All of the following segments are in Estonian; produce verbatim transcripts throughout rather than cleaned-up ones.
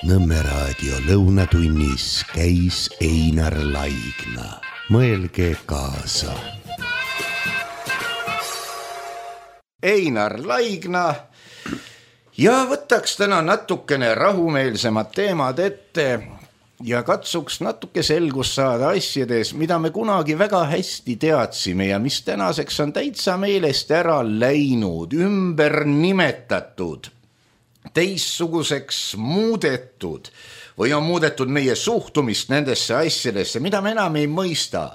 Nõmme raadio lõunatunnis käis Einar Laigna. Mõelge kaasa. Einar Laigna ja võtaks täna natukene rahumeelsemad teemad ette ja katsuks natuke selgust saada asjades, mida me kunagi väga hästi teadsime ja mis tänaseks on täitsa meelest ära läinud, ümber nimetatud, teissuguseks muudetud või on muudetud meie suhtumist nendesse asjadesse, mida me enam ei mõista.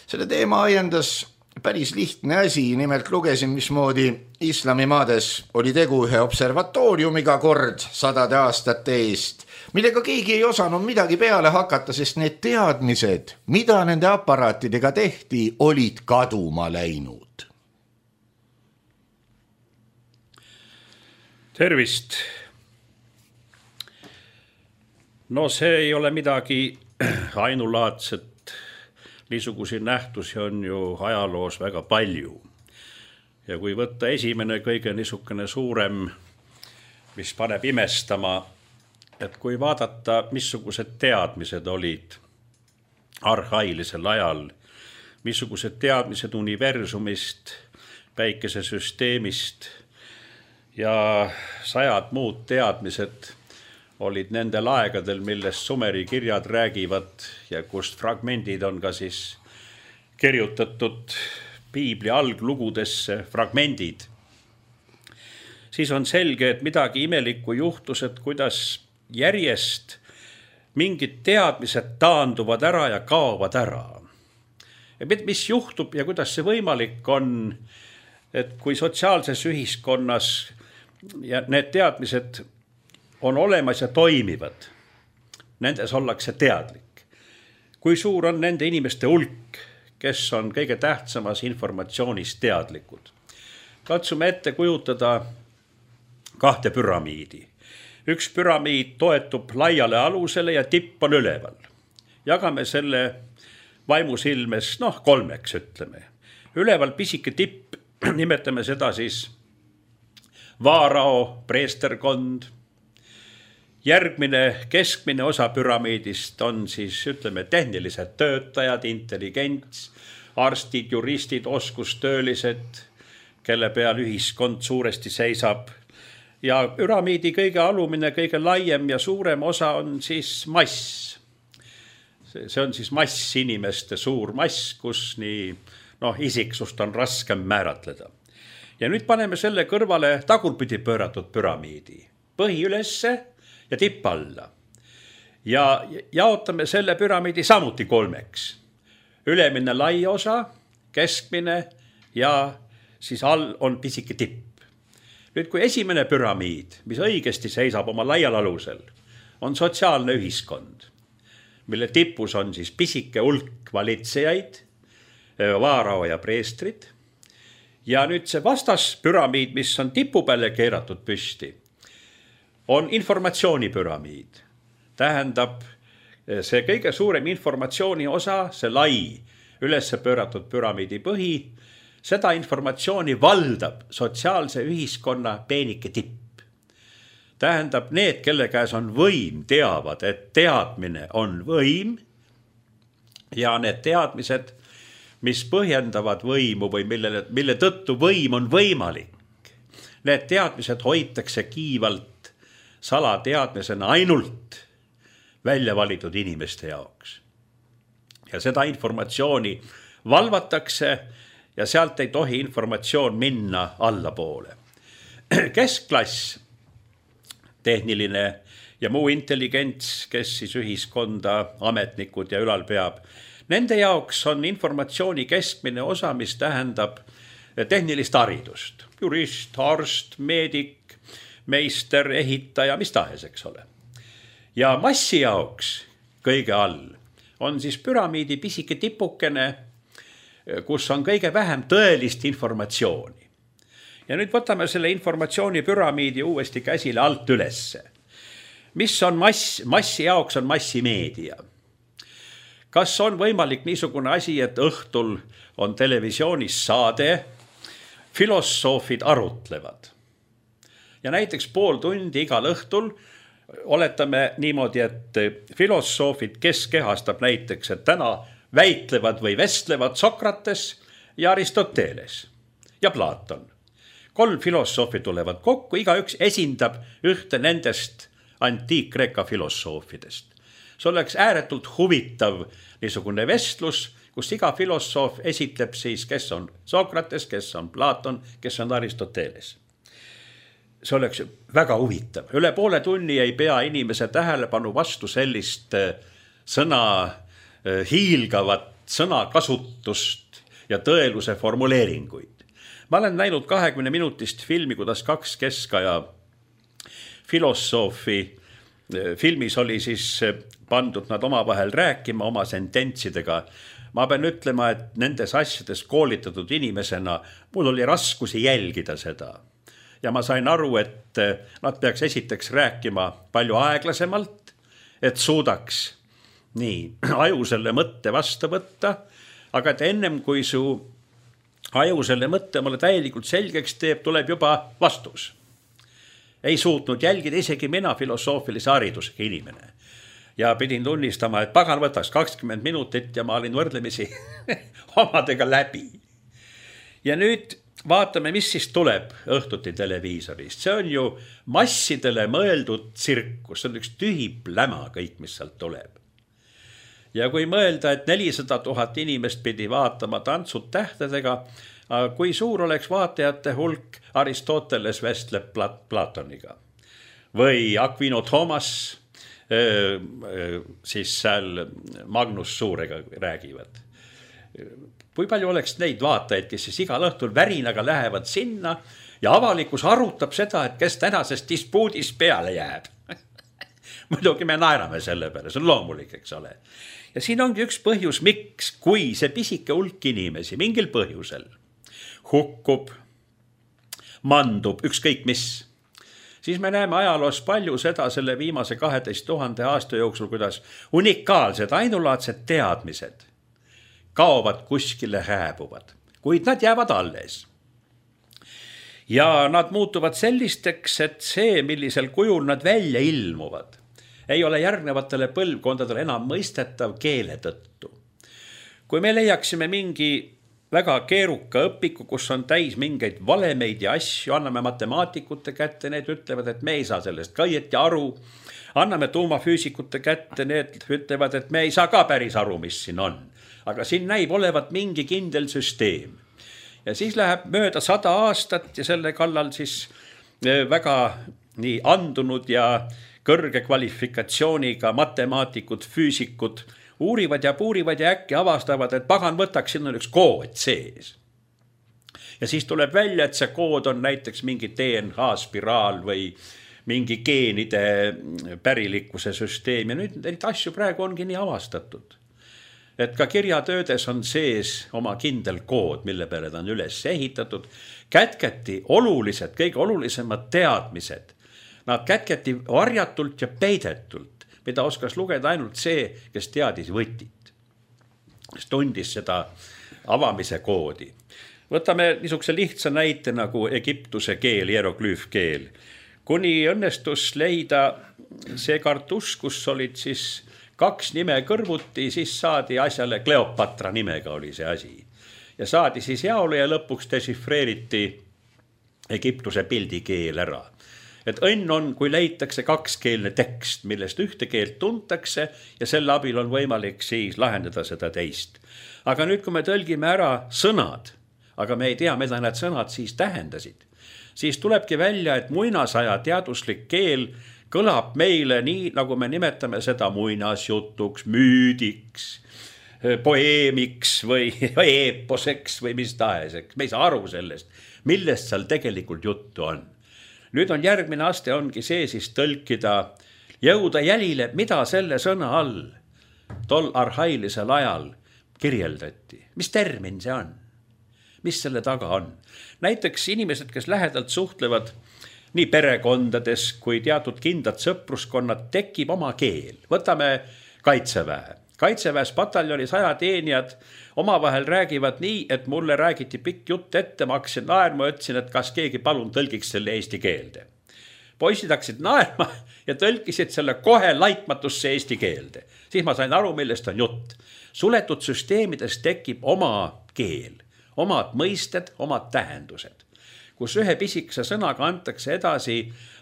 Selle teema ajendas päris lihtne asi, nimelt lugesin, mismoodi islamimaades oli tegu ühe observatooriumiga kord sadade aastate eest, millega keegi ei osanud midagi peale hakata, sest need teadmised, mida nende aparaatidega tehti, olid kaduma läinud. Tervist. No see ei ole midagi ainulaadset. Niisuguseid nähtusi on ju ajaloos väga palju. Ja kui võtta esimene kõige niisugune suurem, mis paneb imestama, et kui vaadata, missugused teadmised olid arhailisel ajal, missugused teadmised universumist, päikesesüsteemist ja sajad muud teadmised olid nendel aegadel, millest Sumeri kirjad räägivad ja kust fragmendid on ka siis kirjutatud piibli alglugudesse fragmendid, siis on selge, et midagi imelikku juhtus, et kuidas järjest mingid teadmised taanduvad ära ja kaovad ära. Ja mis juhtub ja kuidas see võimalik on, et kui sotsiaalses ühiskonnas ja need teadmised on olemas ja toimivad, nendes ollakse teadlik. Kui suur on nende inimeste hulk, kes on kõige tähtsamas informatsioonis teadlikud. Katsume ette kujutada kahte püramiidi. Üks püramiid toetub laiale alusele ja tipp on üleval. Jagame selle vaimusilmes, noh, kolmeks ütleme. Üleval pisike tipp, nimetame seda siis vaarao, preesterkond. Järgmine keskmine osa püramiidist on siis, ütleme, tehnilised töötajad, intelligents, arstid, juristid, oskustöölised, kelle peal ühiskond suuresti seisab. Ja püramiidi kõige alumine, kõige laiem ja suurem osa on siis mass. See on siis mass, inimeste suur mass, kus nii noh, isiksust on raskem määratleda. Ja nüüd paneme selle kõrvale tagurpidi pööratud püramiidi. Põhi ülesse ja tipp alla. Ja jaotame selle püramiidi samuti kolmeks. Ülemine lai osa, keskmine ja siis all on pisike tipp. Nüüd kui esimene püramiid, mis õigesti seisab oma laial alusel, on sotsiaalne ühiskond, mille tipus on siis pisike hulk valitsejaid, vaarao ja preestrid. Ja nüüd see vastas püramiid, mis on tipu peale keeratud püsti, on informatsioonipüramiid. Tähendab, see kõige suurem informatsiooni osa, see lai ülesse pööratud püramiidi põhi, seda informatsiooni valdab sotsiaalse ühiskonna peenike tipp. Tähendab, need, kelle käes on võim, teavad, et teadmine on võim ja need teadmised, mis põhjendavad võimu või mille, mille tõttu võim on võimalik. Need teadmised hoitakse kiivalt salateadmisena ainult välja valitud inimeste jaoks. Ja seda informatsiooni valvatakse ja sealt ei tohi informatsioon minna allapoole. Keskklass, tehniline ja muu intelligents, kes siis ühiskonda, ametnikud ja ülal peab, nende jaoks on informatsiooni keskmine osa, mis tähendab tehnilist haridust. Jurist, arst, meedik, meister, ehitaja, mis tahes, eks ole. Ja massi jaoks kõige all on siis püramiidi pisike tipukene, kus on kõige vähem tõelist informatsiooni. Ja nüüd võtame selle informatsiooni püramiidi uuesti käsile alt ülesse. Mis on mass? Massi jaoks on massimeedia. Kas on võimalik niisugune asi, et õhtul on televisioonis saade, filosoofid arutlevad. Ja näiteks pool tundi igal õhtul oletame niimoodi, et filosoofid, kes kehastab näiteks, et täna väitlevad või vestlevad Sokrates ja Aristoteles ja Platon. Kolm filosoofi tulevad kokku, igaüks esindab ühte nendest antiik-Kreeka filosoofidest. See oleks ääretult huvitav niisugune vestlus, kus iga filosoof esitleb siis, kes on Sokrates, kes on Platon, kes on Aristoteles. See oleks väga huvitav. Üle poole tunni ei pea inimese tähelepanu vastu sellist sõna hiilgavat sõnakasutust ja tõeluse formuleeringuid. Ma olen näinud kahekümne minutist filmi, kuidas kaks keskaja filosoofi filmis oli siis pandud nad omavahel rääkima oma sententsidega. Ma pean ütlema, et nendes asjades koolitatud inimesena mul oli raskusi jälgida seda. Ja ma sain aru, et nad peaks esiteks rääkima palju aeglasemalt, et suudaks nii aju selle mõtte vastu võtta, aga et ennem kui su aju selle mõtte mulle täielikult selgeks teeb, tuleb juba vastus. Ei suutnud jälgida isegi mina filosoofilise haridusega inimene. Ja pidin tunnistama, et pagan võtaks kakskümmend minutit ja ma olin võrdlemisi omadega läbi. Ja nüüd vaatame, mis siis tuleb õhtuti televiisorist. See on ju massidele mõeldud tsirkus, see on üks tühi pläma kõik, mis sealt tuleb. Ja kui mõelda, et nelisada tuhat inimest pidi vaatama Tantsud tähtedega, kui suur oleks vaatajate hulk Aristoteles vestleb Platoniga või Aquino Thomas siis seal Magnus Suurega räägivad. Kui palju oleks neid vaatajaid, kes siis igal õhtul värinaga lähevad sinna ja avalikkus arutab seda, et kes tänasest dispuudis peale jääb. Muidugi me naerame selle peale, see on loomulik, eks ole. Ja siin ongi üks põhjus, miks, kui see pisike hulk inimesi mingil põhjusel hukkub, mandub, ükskõik mis, siis me näeme ajaloos palju seda selle viimase kaheteist tuhande aasta jooksul, kuidas unikaalsed, ainulaadsed teadmised kaovad kuskile, hääbuvad, kuid nad jäävad alles. Ja nad muutuvad sellisteks, et see, millisel kujul nad välja ilmuvad, ei ole järgnevatele põlvkondadele enam mõistetav keele tõttu. Kui me leiaksime mingi väga keeruka õpiku, kus on täis mingeid valemeid ja asju, anname matemaatikute kätte, need ütlevad, et me ei saa sellest ka õieti aru, anname tuumafüüsikute kätte, need ütlevad, et me ei saa ka päris aru, mis siin on. Aga siin näib olevat mingi kindel süsteem. Ja siis läheb mööda sada aastat ja selle kallal siis väga nii andunud ja kõrge kvalifikatsiooniga matemaatikud, füüsikud uurivad ja puurivad ja äkki avastavad, et pagan võtaks, siin on üks kood sees. Ja siis tuleb välja, et see kood on näiteks mingi D N A spiraal või mingi geenide pärilikkuse süsteem. Ja nüüd neid asju praegu ongi nii avastatud. Et ka kirjatöödes on sees oma kindel kood, mille peale ta on üles ehitatud. Kätketi olulised, kõige olulisemad teadmised. Nad kätketi varjatult ja peidetult, mida oskas lugeda ainult see, kes teadis võtit. Kes tundis seda avamise koodi. Võtame niisuguse lihtsa näite nagu Egiptuse keel, hieroglüüfkeel. Kuni õnnestus leida see kartus, kus olid siis kaks nime kõrvuti, siis saadi asjale Kleopatra nimega oli see asi. Ja saadi siis jaole ja lõpuks desifreeriti Egiptuse pildikeel ära. Et õnn on, kui leitakse kakskeelne tekst, millest ühte keelt tuntakse ja selle abil on võimalik siis lahendada seda teist. Aga nüüd, kui me tõlgime ära sõnad, aga me ei tea, mida need sõnad siis tähendasid, siis tulebki välja, et muinasaja teaduslik keel kõlab meile nii, nagu me nimetame seda muinasjutuks, müüdiks, poeemiks või eeposeks või mis tahes. Me ei saa aru sellest, millest seal tegelikult juttu on. Nüüd on järgmine aste ongi see siis tõlkida, jõuda jälile, mida selle sõna all tol arhailisel ajal kirjeldati. Mis termin see on? Mis selle taga on? Näiteks inimesed, kes lähedalt suhtlevad nii perekondades kui teatud kindlad sõpruskonnad, tekib oma keel. Võtame kaitseväe. Kaitseväes pataljoni saja teenijad omavahel räägivad nii, et mulle räägiti pikk jutt ette, ma hakkasin naerma, ütlesin, et kas keegi palun tõlgiks selle eesti keelde. poisid hakkasid naerma ja tõlkisid selle kohe laitmatusse eesti keelde. Siis ma sain aru, millest on jutt. Suletud süsteemides tekib oma keel, omad mõisted, omad tähendused, kus ühe pisikese sõnaga antakse edasi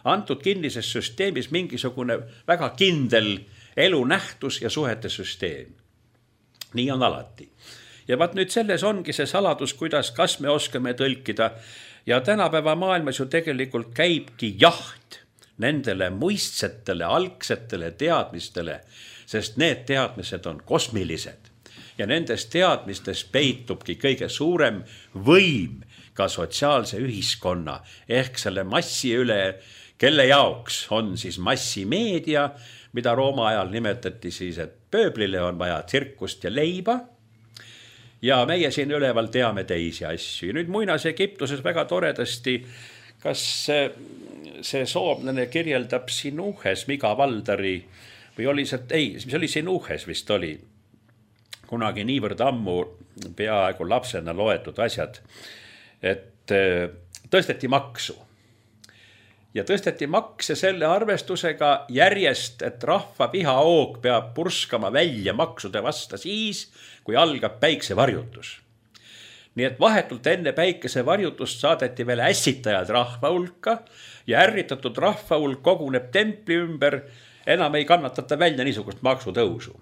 antud kinnises süsteemis mingisugune väga kindel elunähtus ja suhete süsteem. Nii on alati. Ja vaat nüüd selles ongi see saladus, kuidas, kas me oskame tõlkida. Ja tänapäeva maailmas ju tegelikult käibki jaht nendele muistsetele, algsetele teadmistele, sest need teadmised on kosmilised. Ja nendes teadmistes peitubki kõige suurem võim ka sotsiaalse ühiskonna ehk selle massi üle, kelle jaoks on siis massimeedia, mida Rooma ajal nimetati siis, et pööblile on vaja tsirkust ja leiba. Ja meie siin üleval teame teisi asju. Nüüd muinas Egiptuses väga toredasti, kas see soomlane kirjeldab Sinuhes Miga Valdari või oli see, ei, see oli Sinuhes vist oli, kunagi niivõrd ammu peaaegu lapsena loetud asjad, et tõsteti maksu. Ja tõsteti makse selle arvestusega järjest, et rahva vihaoog peab purskama välja maksude vasta siis, kui algab päiksevarjutus. Nii et vahetult enne päikesevarjutust saadeti veel ässitajad rahva hulka ja ärritatud rahva hulk koguneb templi ümber, enam ei kannatata välja niisugust maksutõusu.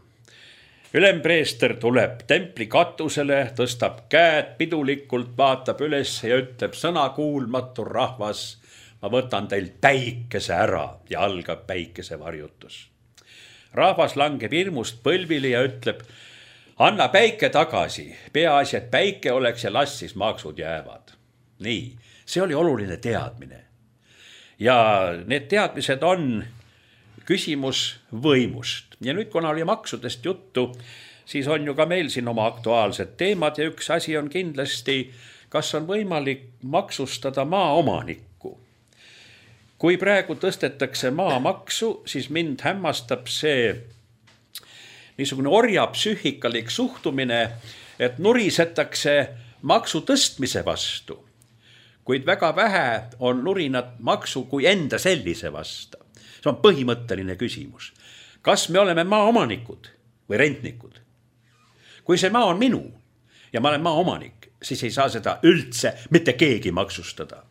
Ülempreester tuleb templi katusele, tõstab käed pidulikult, vaatab üles ja ütleb sõnakuulmatu rahvas, ma võtan teil päikese ära ja algab päikesevarjutus. Rahvas langeb hirmust põlvili ja ütleb, anna päike tagasi, peaasi, et päike oleks ja las siis maksud jäävad. Nii, see oli oluline teadmine. Ja need teadmised on küsimus võimust. Ja nüüd, kuna oli maksudest juttu, siis on ju ka meil siin oma aktuaalsed teemad ja üks asi on kindlasti, kas on võimalik maksustada maaomanikku. Kui praegu tõstetakse maamaksu, siis mind hämmastab see niisugune orjapsühhikalik suhtumine, et nurisetakse maksu tõstmise vastu, kuid väga vähe on nurinat maksu kui enda sellise vastu. See on põhimõtteline küsimus. Kas me oleme maaomanikud või rentnikud? Kui see maa on minu ja ma olen maaomanik, siis ei saa seda üldse mitte keegi maksustada.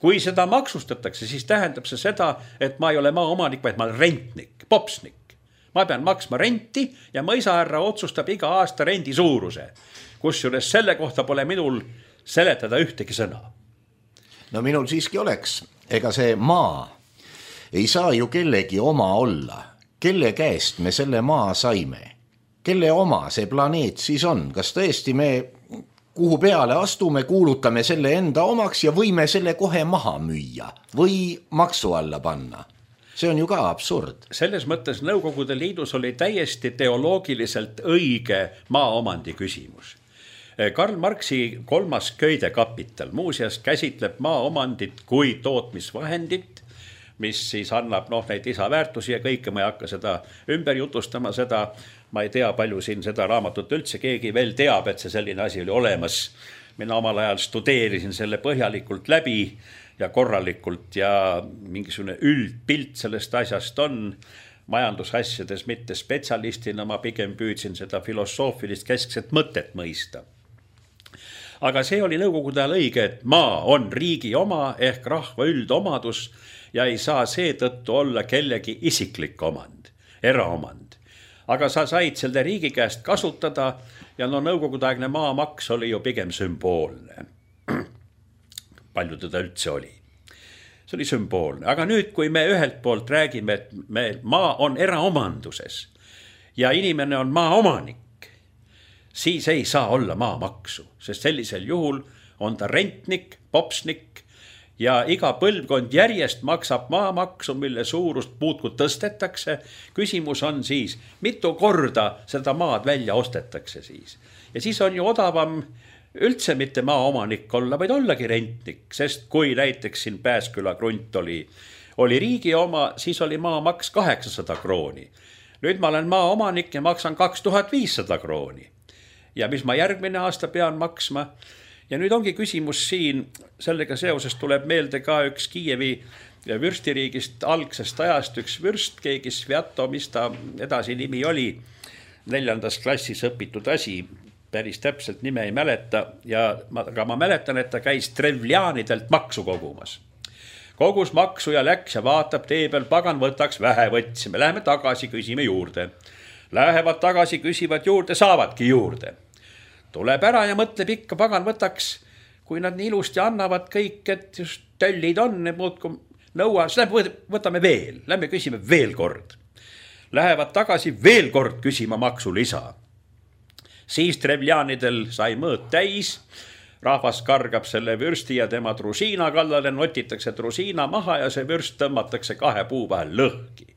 Kui seda maksustatakse, siis tähendab see seda, et ma ei ole maaomanik, vaid ma olen rentnik, popsnik. Ma pean maksma renti ja mõisaärra otsustab iga aasta rendi suuruse, kusjuures selle kohta pole minul seletada ühtegi sõna. No minul siiski oleks, ega see maa ei saa ju kellegi oma olla. Kelle käest me selle maa saime? Kelle oma see planeet siis on? Kas tõesti me kuhu peale astume, kuulutame selle enda omaks ja võime selle kohe maha müüa või maksu alla panna? See on ju ka absurd. Selles mõttes Nõukogude Liidus oli täiesti teoloogiliselt õige maaomandi küsimus. Karl Marxi kolmas köidekapital muuseas käsitleb maaomandit kui tootmisvahendit, mis siis annab noh, neid lisaväärtusi ja kõike, ma ei hakka seda ümber jutustama, seda ma ei tea, palju siin seda raamatut üldse keegi veel teab, et see selline asi oli olemas. Mina omal ajal studeerisin selle põhjalikult läbi ja korralikult ja mingisugune üldpilt sellest asjast on. Majandusasjades mitte spetsialistina, ma pigem püüdsin seda filosoofilist keskset mõtet mõista. Aga see oli Nõukogude ajal õige, et maa on riigi oma ehk rahva üldomadus ja ei saa seetõttu olla kellegi isiklik omand, eraomand. Aga sa said selle riigi käest kasutada ja no nõukogudeaegne maamaks oli ju pigem sümboolne. Palju teda üldse oli. See oli sümboolne. Aga nüüd, kui me ühelt poolt räägime, et me, maa on eraomanduses ja inimene on maaomanik, siis ei saa olla maamaksu, sest sellisel juhul on ta rentnik, popsnik ja iga põlvkond järjest maksab maamaksu, mille suurust puutkud tõstetakse. Küsimus on siis, mitu korda seda maad välja ostetakse siis. Ja siis on ju odavam üldse mitte maaomanik olla, vaid ollagi rentnik, sest kui näiteks siin Pääsküla krunt oli, oli riigi oma, siis oli maamaks kaheksasada krooni. Nüüd ma olen maaomanik ja maksan kaks tuhat viissada krooni. Ja mis ma järgmine aasta pean maksma. Ja nüüd ongi küsimus siin, sellega seoses tuleb meelde ka üks Kiievi ja vürstiriigist algsest ajast üks vürst, keegi Sviato, mis ta edasi nimi oli, neljandas klassis õpitud asi, päris täpselt nime ei mäleta, ja ma, aga ma mäletan, et ta käis Trevlianidelt maksu kogumas. Kogus maksu ja läks ja vaatab tee peal, pagan võtaks, vähe võtsime, läheme tagasi, küsime juurde. Lähevad tagasi, küsivad juurde, saavadki juurde. Tuleb ära ja mõtleb ikka, pagan võtaks, kui nad nii ilusti annavad kõik, et just töllid on, need muudkum nõua, siis lähme võtame veel, lähme küsime veel kord. Lähevad tagasi veel kord küsima maksulisa. Siis Trevlianidel sai mõõt täis, rahvas kargab selle vürsti ja tema trusiina kallale, notitakse trusiina maha ja see vürst tõmmatakse kahe puu vahel lõhki.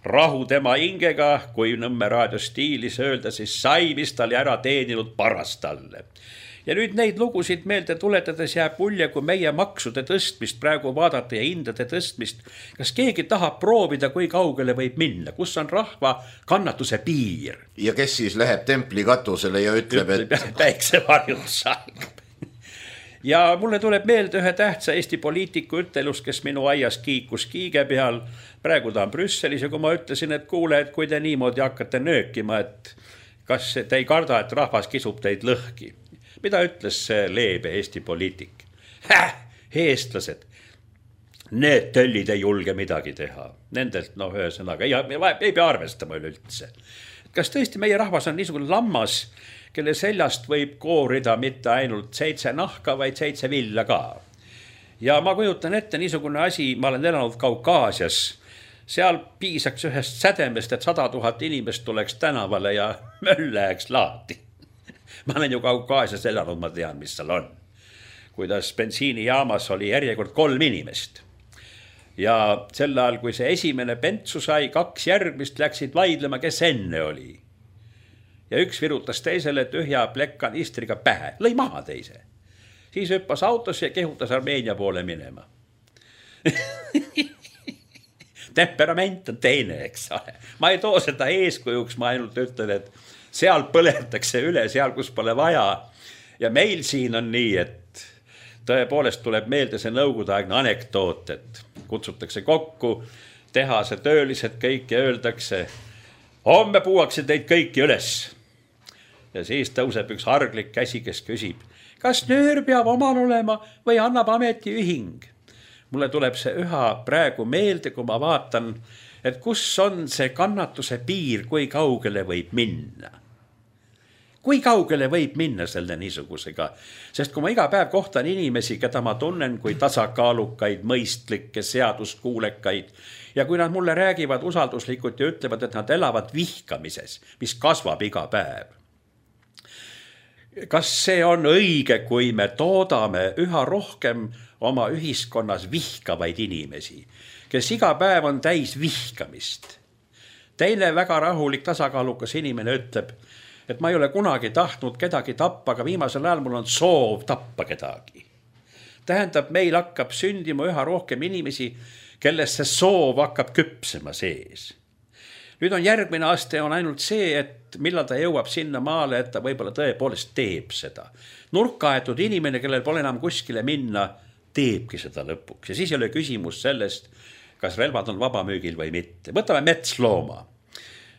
Rahu tema hingega, kui Nõmme raadio stiilis öelda, siis sai, mis tal ära teeninud parast talle. Ja nüüd neid lugusid meelde tuletades jääb mulje, kui meie maksude tõstmist praegu vaadata ja hindade tõstmist, kas keegi tahab proovida, kui kaugele võib minna, kus on rahva kannatuse piir. Ja kes siis läheb templi katusele ja ütleb, ütleb et päiksevarjud salgab. Ja mulle tuleb meelde ühe tähtsa Eesti poliitiku ütelus, kes minu aias kiikus kiige peal. Praegu ta on Brüsselis ja kui ma ütlesin, et kuule, et kui te niimoodi hakkate nöökima, et kas te ei karda, et rahvas kisub teid lõhki. Mida ütles see leebe Eesti poliitik? Häh, eestlased, need töllid ei julge midagi teha. Nendelt, no ühesõnaga, ei, ei pea arvestama üleüldse. Kas tõesti meie rahvas on niisugune lammas, kelle seljast võib koorida mitte ainult seitse nahka, vaid seitse villa ka. Ja ma kujutan ette niisugune asi, ma olen elanud Kaukaasias, seal piisaks ühest sädemest, et sada tuhat inimest tuleks tänavale ja möll läheks lahti. Ma olen ju Kaukaasias elanud, ma tean, mis seal on. Kuidas bensiinijaamas oli järjekord kolm inimest. Ja sel ajal, kui see esimene pentsu sai, kaks järgmist läksid vaidlema, kes enne oli. Ja üks virutas teisele tühja plekkanistriga pähe, lõi maha teise. Siis hüppas autos ja kehutas Armeenia poole minema. Temperament on teine, eks ole. Ma ei too seda eeskujuks, ma ainult ütlen, et seal põletakse üle, seal kus pole vaja. Ja meil siin on nii, et tõepoolest tuleb meelde see nõukogudeaegne anekdoot, et kutsutakse kokku, tehase töölised kõik ja öeldakse, homme puuakse teid kõiki üles. Ja siis tõuseb üks harglik käsi, kes küsib, kas nöör peab omal olema või annab ametiühing? Mulle tuleb see üha praegu meelde, kui ma vaatan, et kus on see kannatuse piir, kui kaugele võib minna. Kui kaugele võib minna selle niisugusega? Sest kui ma iga päev kohtan inimesi, keda ma tunnen kui tasakaalukaid, mõistlikke, seaduskuulekaid, ja kui nad mulle räägivad usalduslikult ja ütlevad, et nad elavad vihkamises, mis kasvab iga päev. Kas see on õige, kui me toodame üha rohkem oma ühiskonnas vihkavaid inimesi, kes iga päev on täis vihkamist? Teine väga rahulik tasakaalukas inimene ütleb, et ma ei ole kunagi tahtnud kedagi tappa, aga viimasel ajal mul on soov tappa kedagi. Tähendab, meil hakkab sündima üha rohkem inimesi, kellest see soov hakkab küpsema sees. Nüüd on järgmine aste on ainult see, et millal ta jõuab sinna maale, et ta võib-olla tõepoolest teeb seda. Nurkaaetud inimene, kellel pole enam kuskile minna, teebki seda lõpuks. Ja siis ei ole küsimus sellest, kas relvad on vabamüügil või mitte. Võtame metslooma.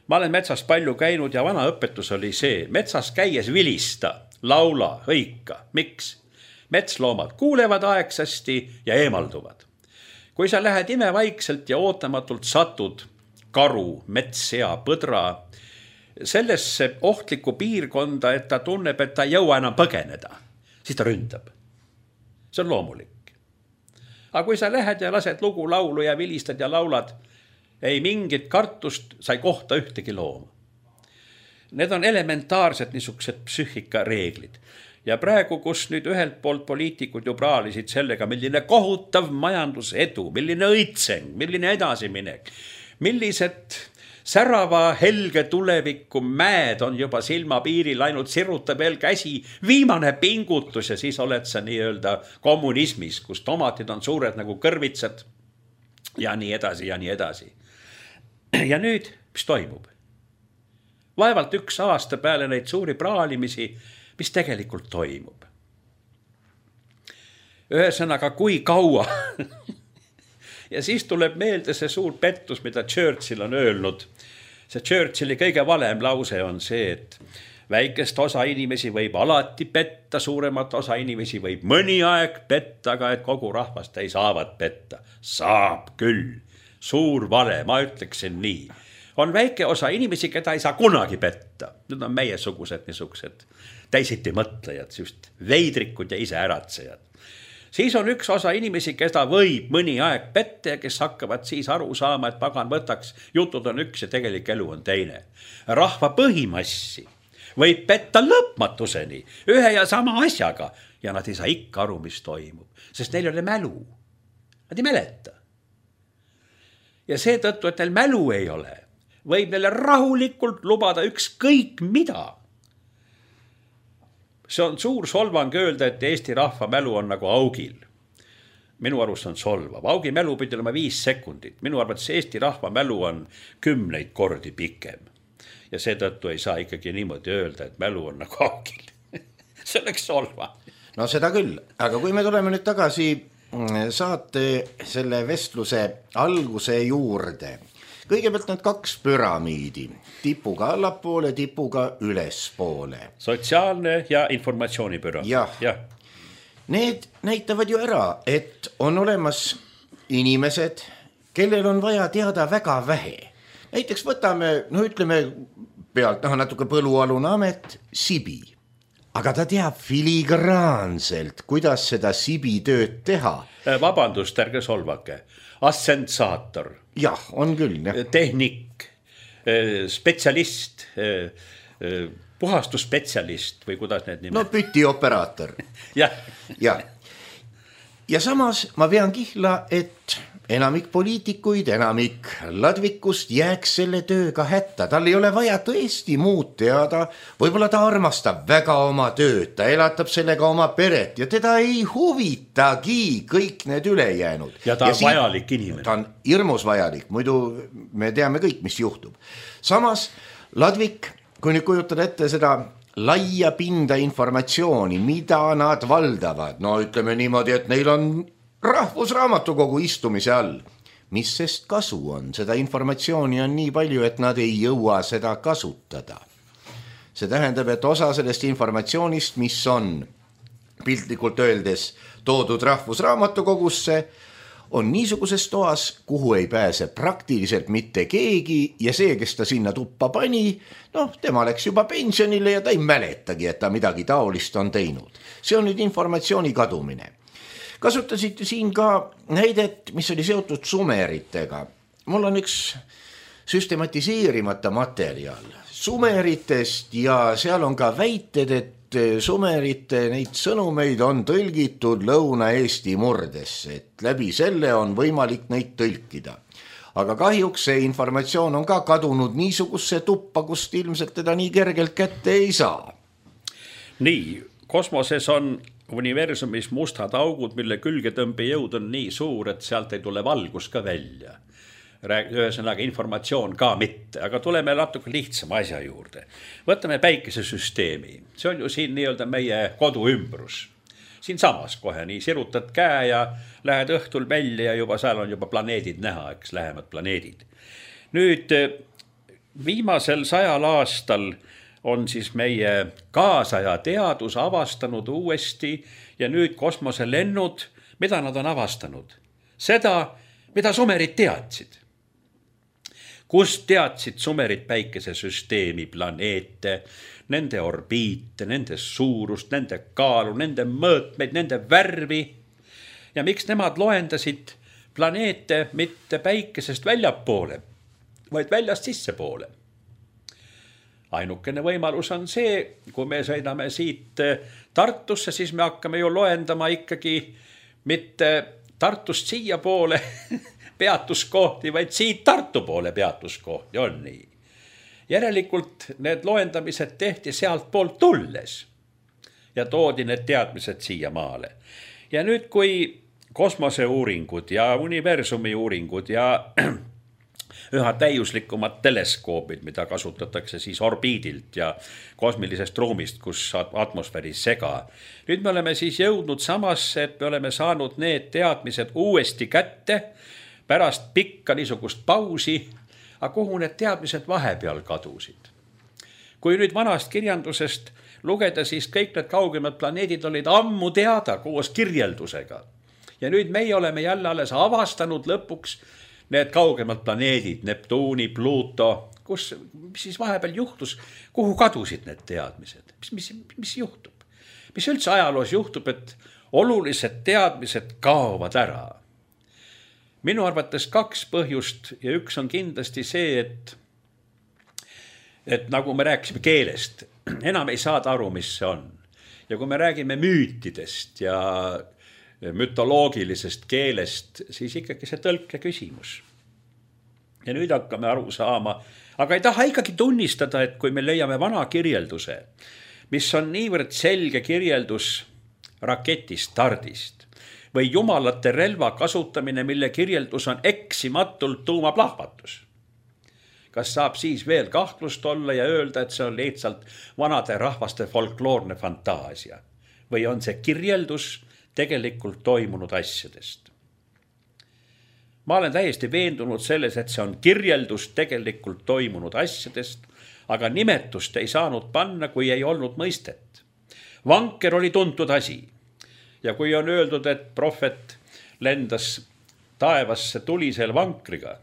Ma olen metsas palju käinud ja vana õpetus oli see. Metsas käies vilista, laula, hõika. Miks? Metsloomad kuulevad aegsasti ja eemalduvad. Kui sa lähed imevaikselt ja ootamatult satud karu, metssea, põdra sellesse ohtlikku piirkonda, et ta tunneb, et ta ei jõua enam põgeneda, siis ta ründab. See on loomulik. Aga kui sa lähed ja lased lugu laulu ja vilistad ja laulad, ei mingit kartust, sa ei kohta ühtegi looma. Need on elementaarsed niisugused psüühikareeglid. Ja praegu, kus nüüd ühelt poolt poliitikud ju praalisid sellega, milline kohutav majandusedu, milline õitseng, milline edasiminek, millised särava helge tuleviku mäed on juba silmapiiril, ainult siruta veel käsi, viimane pingutus ja siis oled sa nii-öelda kommunismis, kus tomatid on suured nagu kõrvitsad ja nii edasi ja nii edasi. Ja nüüd, mis toimub? Vaevalt üks aasta peale neid suuri praalimisi, mis tegelikult toimub. Ühesõnaga, kui kaua Ja siis tuleb meelde see suur pettus, mida Churchill on öelnud. See Churchilli kõige valem lause on see, et väikest osa inimesi võib alati petta, suuremat osa inimesi võib mõni aeg petta, aga et kogu rahvast ei saavat petta. Saab küll. Suur vale, ma ütleksin nii. On väike osa inimesi, keda ei saa kunagi petta. Need on meie sugused niisugused täisiti mõtlejad, just veidrikud ja ise äratsejad. Siis on üks osa inimesi, keda võib mõni aeg petta ja kes hakkavad siis aru saama, et pagan võtaks, jutud on üks ja tegelik elu on teine. Rahva põhimassi võib petta lõpmatuseni ühe ja sama asjaga ja nad ei saa ikka aru, mis toimub, sest neil ei ole mälu. Nad ei mäleta. Ja seetõttu, et neil mälu ei ole, võib neile rahulikult lubada ükskõik mida. See on suur solvang öelda, et Eesti rahva mälu on nagu augil. Minu arust on solvav. Augi mälu pidi olema viis sekundit. Minu arvates Eesti rahva mälu on kümneid kordi pikem. Ja seetõttu ei saa ikkagi niimoodi öelda, et mälu on nagu augil. See oleks solva. No seda küll, aga kui me tuleme nüüd tagasi saate selle vestluse alguse juurde. Kõigepealt need kaks püramiidi, tipuga allapoole, tipuga ülespoole. Sotsiaalne ja informatsioonipüramiid. Jah. Ja. Need näitavad ju ära, et on olemas inimesed, kellel on vaja teada väga vähe. Näiteks võtame, no ütleme pealt, no, natuke põlualune amet, Sibi. Aga ta teab filigraanselt, kuidas seda Sibi tööd teha. Vabandust, ärge solvake. Assensaator. Jah, on küll. Jah. Tehnik, spetsialist, puhastusspetsialist või kuidas need nimed? No pütioperaator. ja. ja. ja samas ma pean kihla, et enamik poliitikuid, enamik ladvikust jääks selle tööga hätta. Tal ei ole vaja tõesti muud teada. Võib-olla ta armastab väga oma tööd, ta elatab sellega oma peret ja teda ei huvitagi kõik need ülejäänud. Ja ta on ja siin, vajalik inimene. Ta on hirmus vajalik, muidu me teame kõik, mis juhtub. Samas ladvik, kui nüüd kujutada ette seda laia pinda informatsiooni, mida nad valdavad, no ütleme niimoodi, et neil on rahvusraamatukogu istumise all. Mis sest kasu on? Seda informatsiooni on nii palju, et nad ei jõua seda kasutada. See tähendab, et osa sellest informatsioonist, mis on piltlikult öeldes toodud rahvusraamatukogusse, on niisuguses toas, kuhu ei pääse praktiliselt mitte keegi ja see, kes ta sinna tuppa pani, noh, tema läks juba pensionile ja ta ei mäletagi, et ta midagi taolist on teinud. See on nüüd informatsiooni kadumine. Kasutasite siin ka näidet, mis oli seotud sumeritega. Mul on üks süstematiseerimata materjal sumeritest ja seal on ka väited, et sumerite neid sõnumeid on tõlgitud Lõuna-Eesti murdesse, et läbi selle on võimalik neid tõlkida. Aga kahjuks see informatsioon on ka kadunud niisugusse tuppa, kust ilmselt teda nii kergelt kätte ei saa. Nii, kosmoses on universumis mustad augud, mille külgetõmbejõud on nii suur, et sealt ei tule valgus ka välja. Ühesõnaga informatsioon ka mitte, aga tuleme natuke lihtsama asja juurde. Võtame päikesesüsteemi. See on ju siin nii-öelda meie kodu ümbrus. Siin samas kohe nii sirutad käe ja lähed õhtul välja ja juba seal on juba planeedid näha, eks lähemad planeedid. Nüüd viimasel sajal aastal on siis meie kaasaja teadus avastanud uuesti ja nüüd kosmoselennud, mida nad on avastanud? Seda, mida sumerid teadsid. Kust teadsid sumerid päikesesüsteemi planeete, nende orbiite, nende suurust, nende kaalu, nende mõõtmeid, nende värvi. Ja miks nemad loendasid planeete mitte päikesest väljapoole, vaid väljast sissepoole? Ainukene võimalus on see, kui me sõidame siit Tartusse, siis me hakkame ju loendama ikkagi mitte Tartust siia poole peatuskohti, vaid siit Tartu poole peatuskohti, on nii. Järelikult need loendamised tehti sealt poolt tulles ja toodi need teadmised siia maale. Ja nüüd, kui kosmoseuuringud ja universumi uuringud ja üha täiuslikumad teleskoobid, mida kasutatakse siis orbiidilt ja kosmilisest ruumist, kus atmosfääri sega. Nüüd me oleme siis jõudnud samasse, et me oleme saanud need teadmised uuesti kätte pärast pikka niisugust pausi, aga kuhu need teadmised vahepeal kadusid. Kui nüüd vanast kirjandusest lugeda, siis kõik need kaugemad planeedid olid ammu teada koos kirjeldusega. Ja nüüd meie oleme jälle alles avastanud lõpuks need kaugemad planeedid, Neptuuni, Pluto, kus, mis siis vahepeal juhtus, kuhu kadusid need teadmised, mis, mis, mis juhtub? Mis üldse ajaloos juhtub, et olulised teadmised kaovad ära? Minu arvates kaks põhjust ja üks on kindlasti see, et, et nagu me rääkisime keelest, enam ei saada aru, mis see on. Ja kui me räägime müütidest ja mütoloogilisest keelest, siis ikkagi see tõlke küsimus. Ja nüüd hakkame aru saama, aga ei taha ikkagi tunnistada, et kui me leiame vana kirjelduse, mis on niivõrd selge kirjeldus raketi stardist või jumalate relva kasutamine, mille kirjeldus on eksimatult tuumaplahvatus. Kas saab siis veel kahtlust olla ja öelda, et see on lihtsalt vanade rahvaste folkloorne fantaasia? Või on see kirjeldus tegelikult toimunud asjadest? Ma olen täiesti veendunud selles, et see on kirjeldus tegelikult toimunud asjadest, aga nimetust ei saanud panna, kui ei olnud mõistet. Vanker oli tuntud asi. Ja kui on öeldud, et prohvet lendas taevasse tulisel vankriga,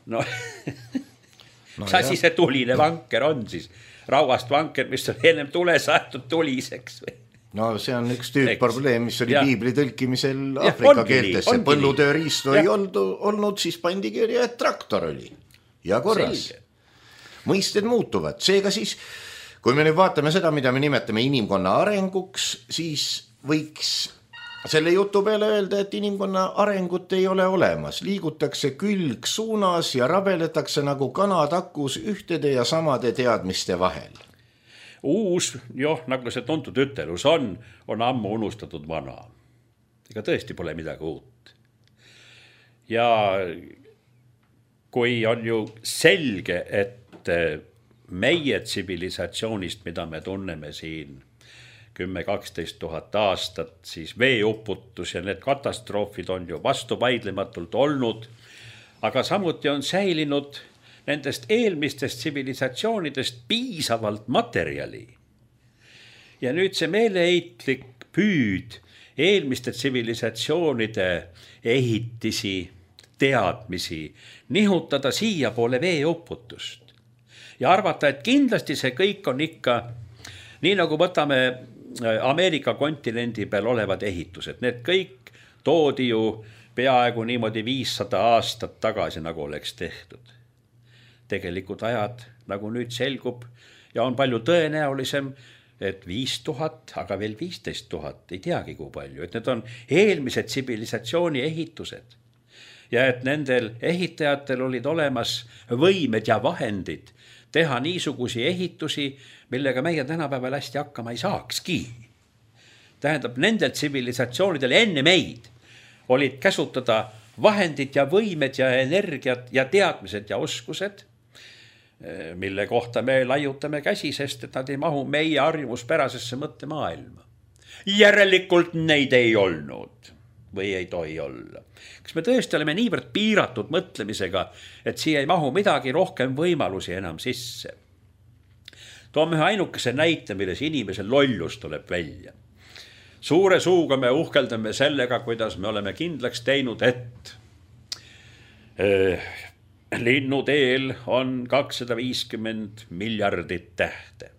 no, no mis asi see tuline vanker on siis? Rauast vanker, mis on ennem tule saetud tuliseks või? No see on üks tüüp probleem, mis oli ja. Piibli tõlkimisel Ja, Afrika ongi keeltesse. nii, Põllutööriistu ei olnud, olnud, siis pandi kirja, et traktor oli. Ja korras. Selge. Mõisted muutuvad. Seega siis, kui me nüüd vaatame seda, mida me nimetame inimkonna arenguks, siis võiks selle jutu peale öelda, et inimkonna arengut ei ole olemas. Liigutakse külg suunas ja rabeletakse nagu kanatakus ühtede ja samade teadmiste vahel. Uus, joh, nagu see tuntud ütelus on, on ammu unustatud vana. Ega tõesti pole midagi uut. Ja kui on ju selge, et meie tsivilisatsioonist, mida me tunneme siin kümme kaksteist tuhat aastat, siis veeuputus ja need katastroofid on ju vastuvaidlematult olnud, aga samuti on säilinud nendest eelmistest tsivilisatsioonidest piisavalt materjali. Ja nüüd see meeleheitlik püüd eelmiste tsivilisatsioonide ehitisi, teadmisi, nihutada siia poole veeuputust. Ja arvata, et kindlasti see kõik on ikka, nii nagu võtame Ameerika kontinendi peal olevad ehitused, need kõik toodi ju peaaegu niimoodi viissada aastat tagasi, nagu oleks tehtud. Tegelikult ajad, nagu nüüd selgub, ja on palju tõenäolisem, et viis tuhat, aga veel viisteist tuhat, ei teagi kui palju, et need on eelmised tsivilisatsiooni ehitused. Ja et nendel ehitajatel olid olemas võimed ja vahendid teha niisugusi ehitusi, millega meie tänapäeval hästi hakkama ei saakski. Tähendab, nendel tsivilisatsioonidel enne meid olid käsutada vahendid ja võimed ja energiat ja teadmised ja oskused, mille kohta me laiutame käsi, sest et nad ei mahu meie harjumuspärasesse mõttemaailma. Järelikult neid ei olnud või ei tohi olla. Kas me tõesti oleme niivõrd piiratud mõtlemisega, et siia ei mahu midagi rohkem võimalusi enam sisse? Toome ühe ainukese näite, milles inimese lollus tuleb välja. Suure suuga me uhkeldame sellega, kuidas me oleme kindlaks teinud, et äh, linnuteel on kakssada viiskümmend miljardit tähte.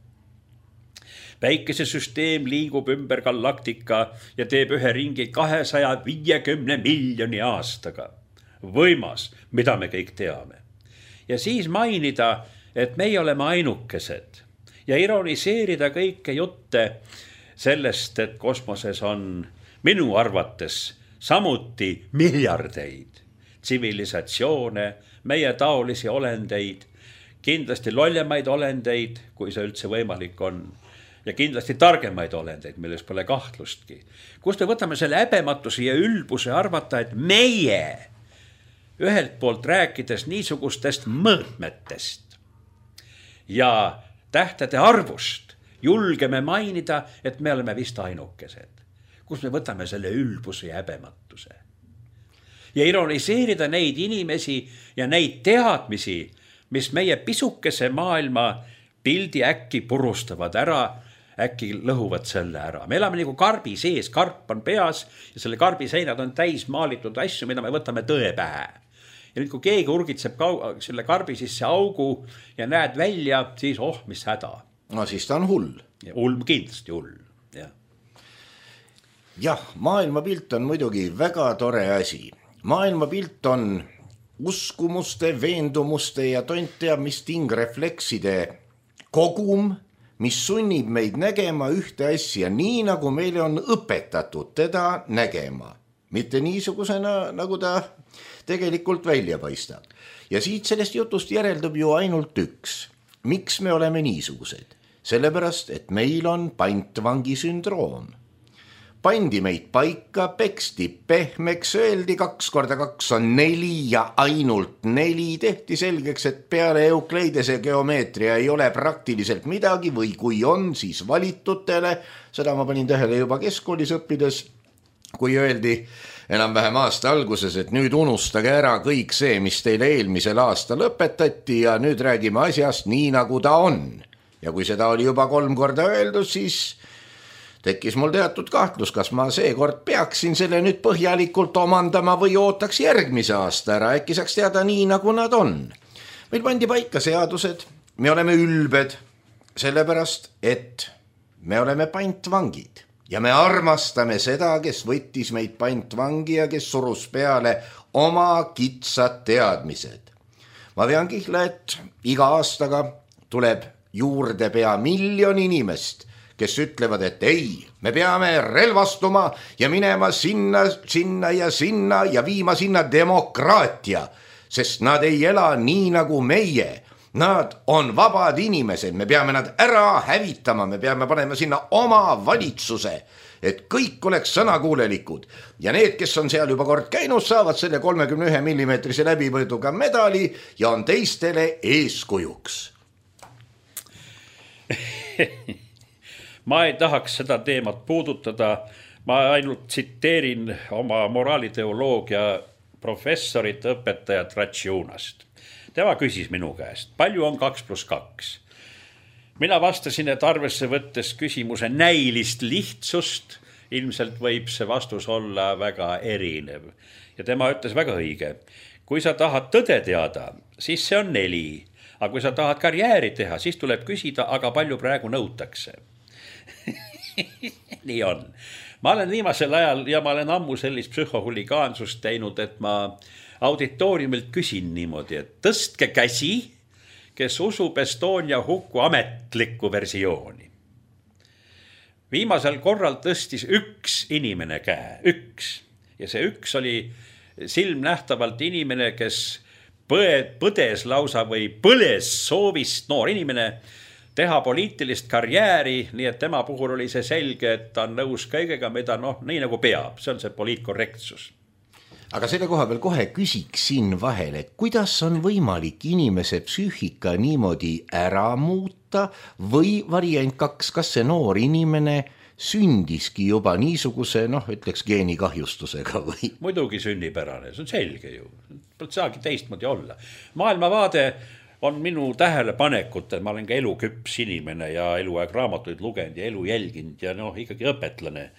Päikesesüsteem liigub ümber galaktika ja teeb ühe ringi kahesaja viiekümne miljoni aastaga. Võimas, mida me kõik teame. Ja siis mainida, et meie oleme ainukesed ja ironiseerida kõike jutte sellest, et kosmoses on minu arvates samuti miljardeid tsivilisatsioone, meie taolisi olendeid, kindlasti lollemaid olendeid, kui see üldse võimalik on, ja kindlasti targemaid olendeid, milles pole kahtlustki. Kust me võtame selle häbematuse ja ülbuse arvata, et meie ühelt poolt rääkides niisugustest mõõtmetest ja tähtede arvust julgeme mainida, et me oleme vist ainukesed. Kust me võtame selle ülbuse ja häbematuse? ja ironiseerida neid inimesi ja neid teadmisi, mis meie pisukese maailma pildi äkki purustavad ära, äkki lõhuvad selle ära. Me elame nagu karbi sees, karp on peas ja selle karbi seinad on täis maalitud asju, mida me võtame tõe pähe. Ja nüüd, kui keegi urgitseb selle karbi sisse augu ja näed välja, siis oh, mis häda. No siis ta on hull. Ja hull, kindlasti hull, jah. Jah, maailmapilt on muidugi väga tore asi. Maailmapilt on uskumuste, veendumuste ja tont teab mis tingreflekside kogum, mis sunnib meid nägema ühte asja nii, nagu meile on õpetatud teda nägema. Mitte niisugusena, nagu ta tegelikult välja paistab. Ja siit sellest jutust järeldub ju ainult üks. Miks me oleme niisugused? Sellepärast, et meil on pantvangi sündroom. Pandi meid paika, peksti pehmeks, öeldi kaks korda kaks on neli ja ainult neli. Tehti selgeks, et peale Eukleidese geomeetria ei ole praktiliselt midagi või kui on, siis valitutele. Seda ma panin tähele juba keskkoolis õppides, kui öeldi enam-vähem aasta alguses, et nüüd unustage ära kõik see, mis teile eelmisel aastal õpetati ja nüüd räägime asjast nii, nagu ta on. Ja kui seda oli juba kolm korda öeldud, siis tekkis mul teatud kahtlus, kas ma seekord peaksin selle nüüd põhjalikult omandama või ootaks järgmise aasta ära, äkki saaks teada nii, nagu nad on. Meil pandi paika seadused, me oleme ülbed, sellepärast, et me oleme pantvangid ja me armastame seda, kes võttis meid pantvangi ja kes surus peale oma kitsad teadmised. Ma vean kihla, et iga aastaga tuleb juurde pea miljon inimest, kes ütlevad, et ei, me peame relvastuma ja minema sinna, sinna ja sinna ja viima sinna demokraatia, sest nad ei ela nii nagu meie. Nad on vabad inimesed, me peame nad ära hävitama, me peame panema sinna oma valitsuse, et kõik oleks sõnakuulelikud. Ja need, kes on seal juba kord käinud, saavad selle kolmekümne ühe millimeetrise läbipõõduga medali ja on teistele eeskujuks. Ma ei tahaks seda teemat puudutada, ma ainult tsiteerin oma moraaliteoloogia professorit, õpetajat Ratšiunast. Tema küsis minu käest, palju on kaks pluss kaks? Mina vastasin, et arvesse võttes küsimuse näilist lihtsust, ilmselt võib see vastus olla väga erinev. Ja tema ütles väga õige. Kui sa tahad tõde teada, siis see on neli. Aga kui sa tahad karjääri teha, siis tuleb küsida, aga palju praegu nõutakse. Nii on. Ma olen viimasel ajal ja ma olen ammu sellist psühhohuligaansust teinud, et ma auditooriumilt küsin niimoodi, et tõstke käsi, kes usub Estonia hukku ametlikku versiooni. Viimasel korral tõstis üks inimene käe, üks. Ja see üks oli silmnähtavalt inimene, kes põdes lausa või põles soovist noor inimene teha poliitilist karjääri, nii et tema puhul oli see selge, et ta on nõus kõigega, mida noh, nii nagu peab, see on see poliitkorrektsus. Aga selle koha peal kohe küsiks siin vahel, et kuidas on võimalik inimese psüühika niimoodi ära muuta või variant kaks, kas see noor inimene sündiski juba niisuguse, noh, ütleks geenikahjustusega või? Muidugi sünnipärane, see on selge ju. Pole saagi teistmoodi olla. Maailmavaade on minu tähelepanekut, et ma olen ka eluküps inimene ja eluaeg raamatuid lugenud ja elu jälginud ja noh, ikkagi õpetlane.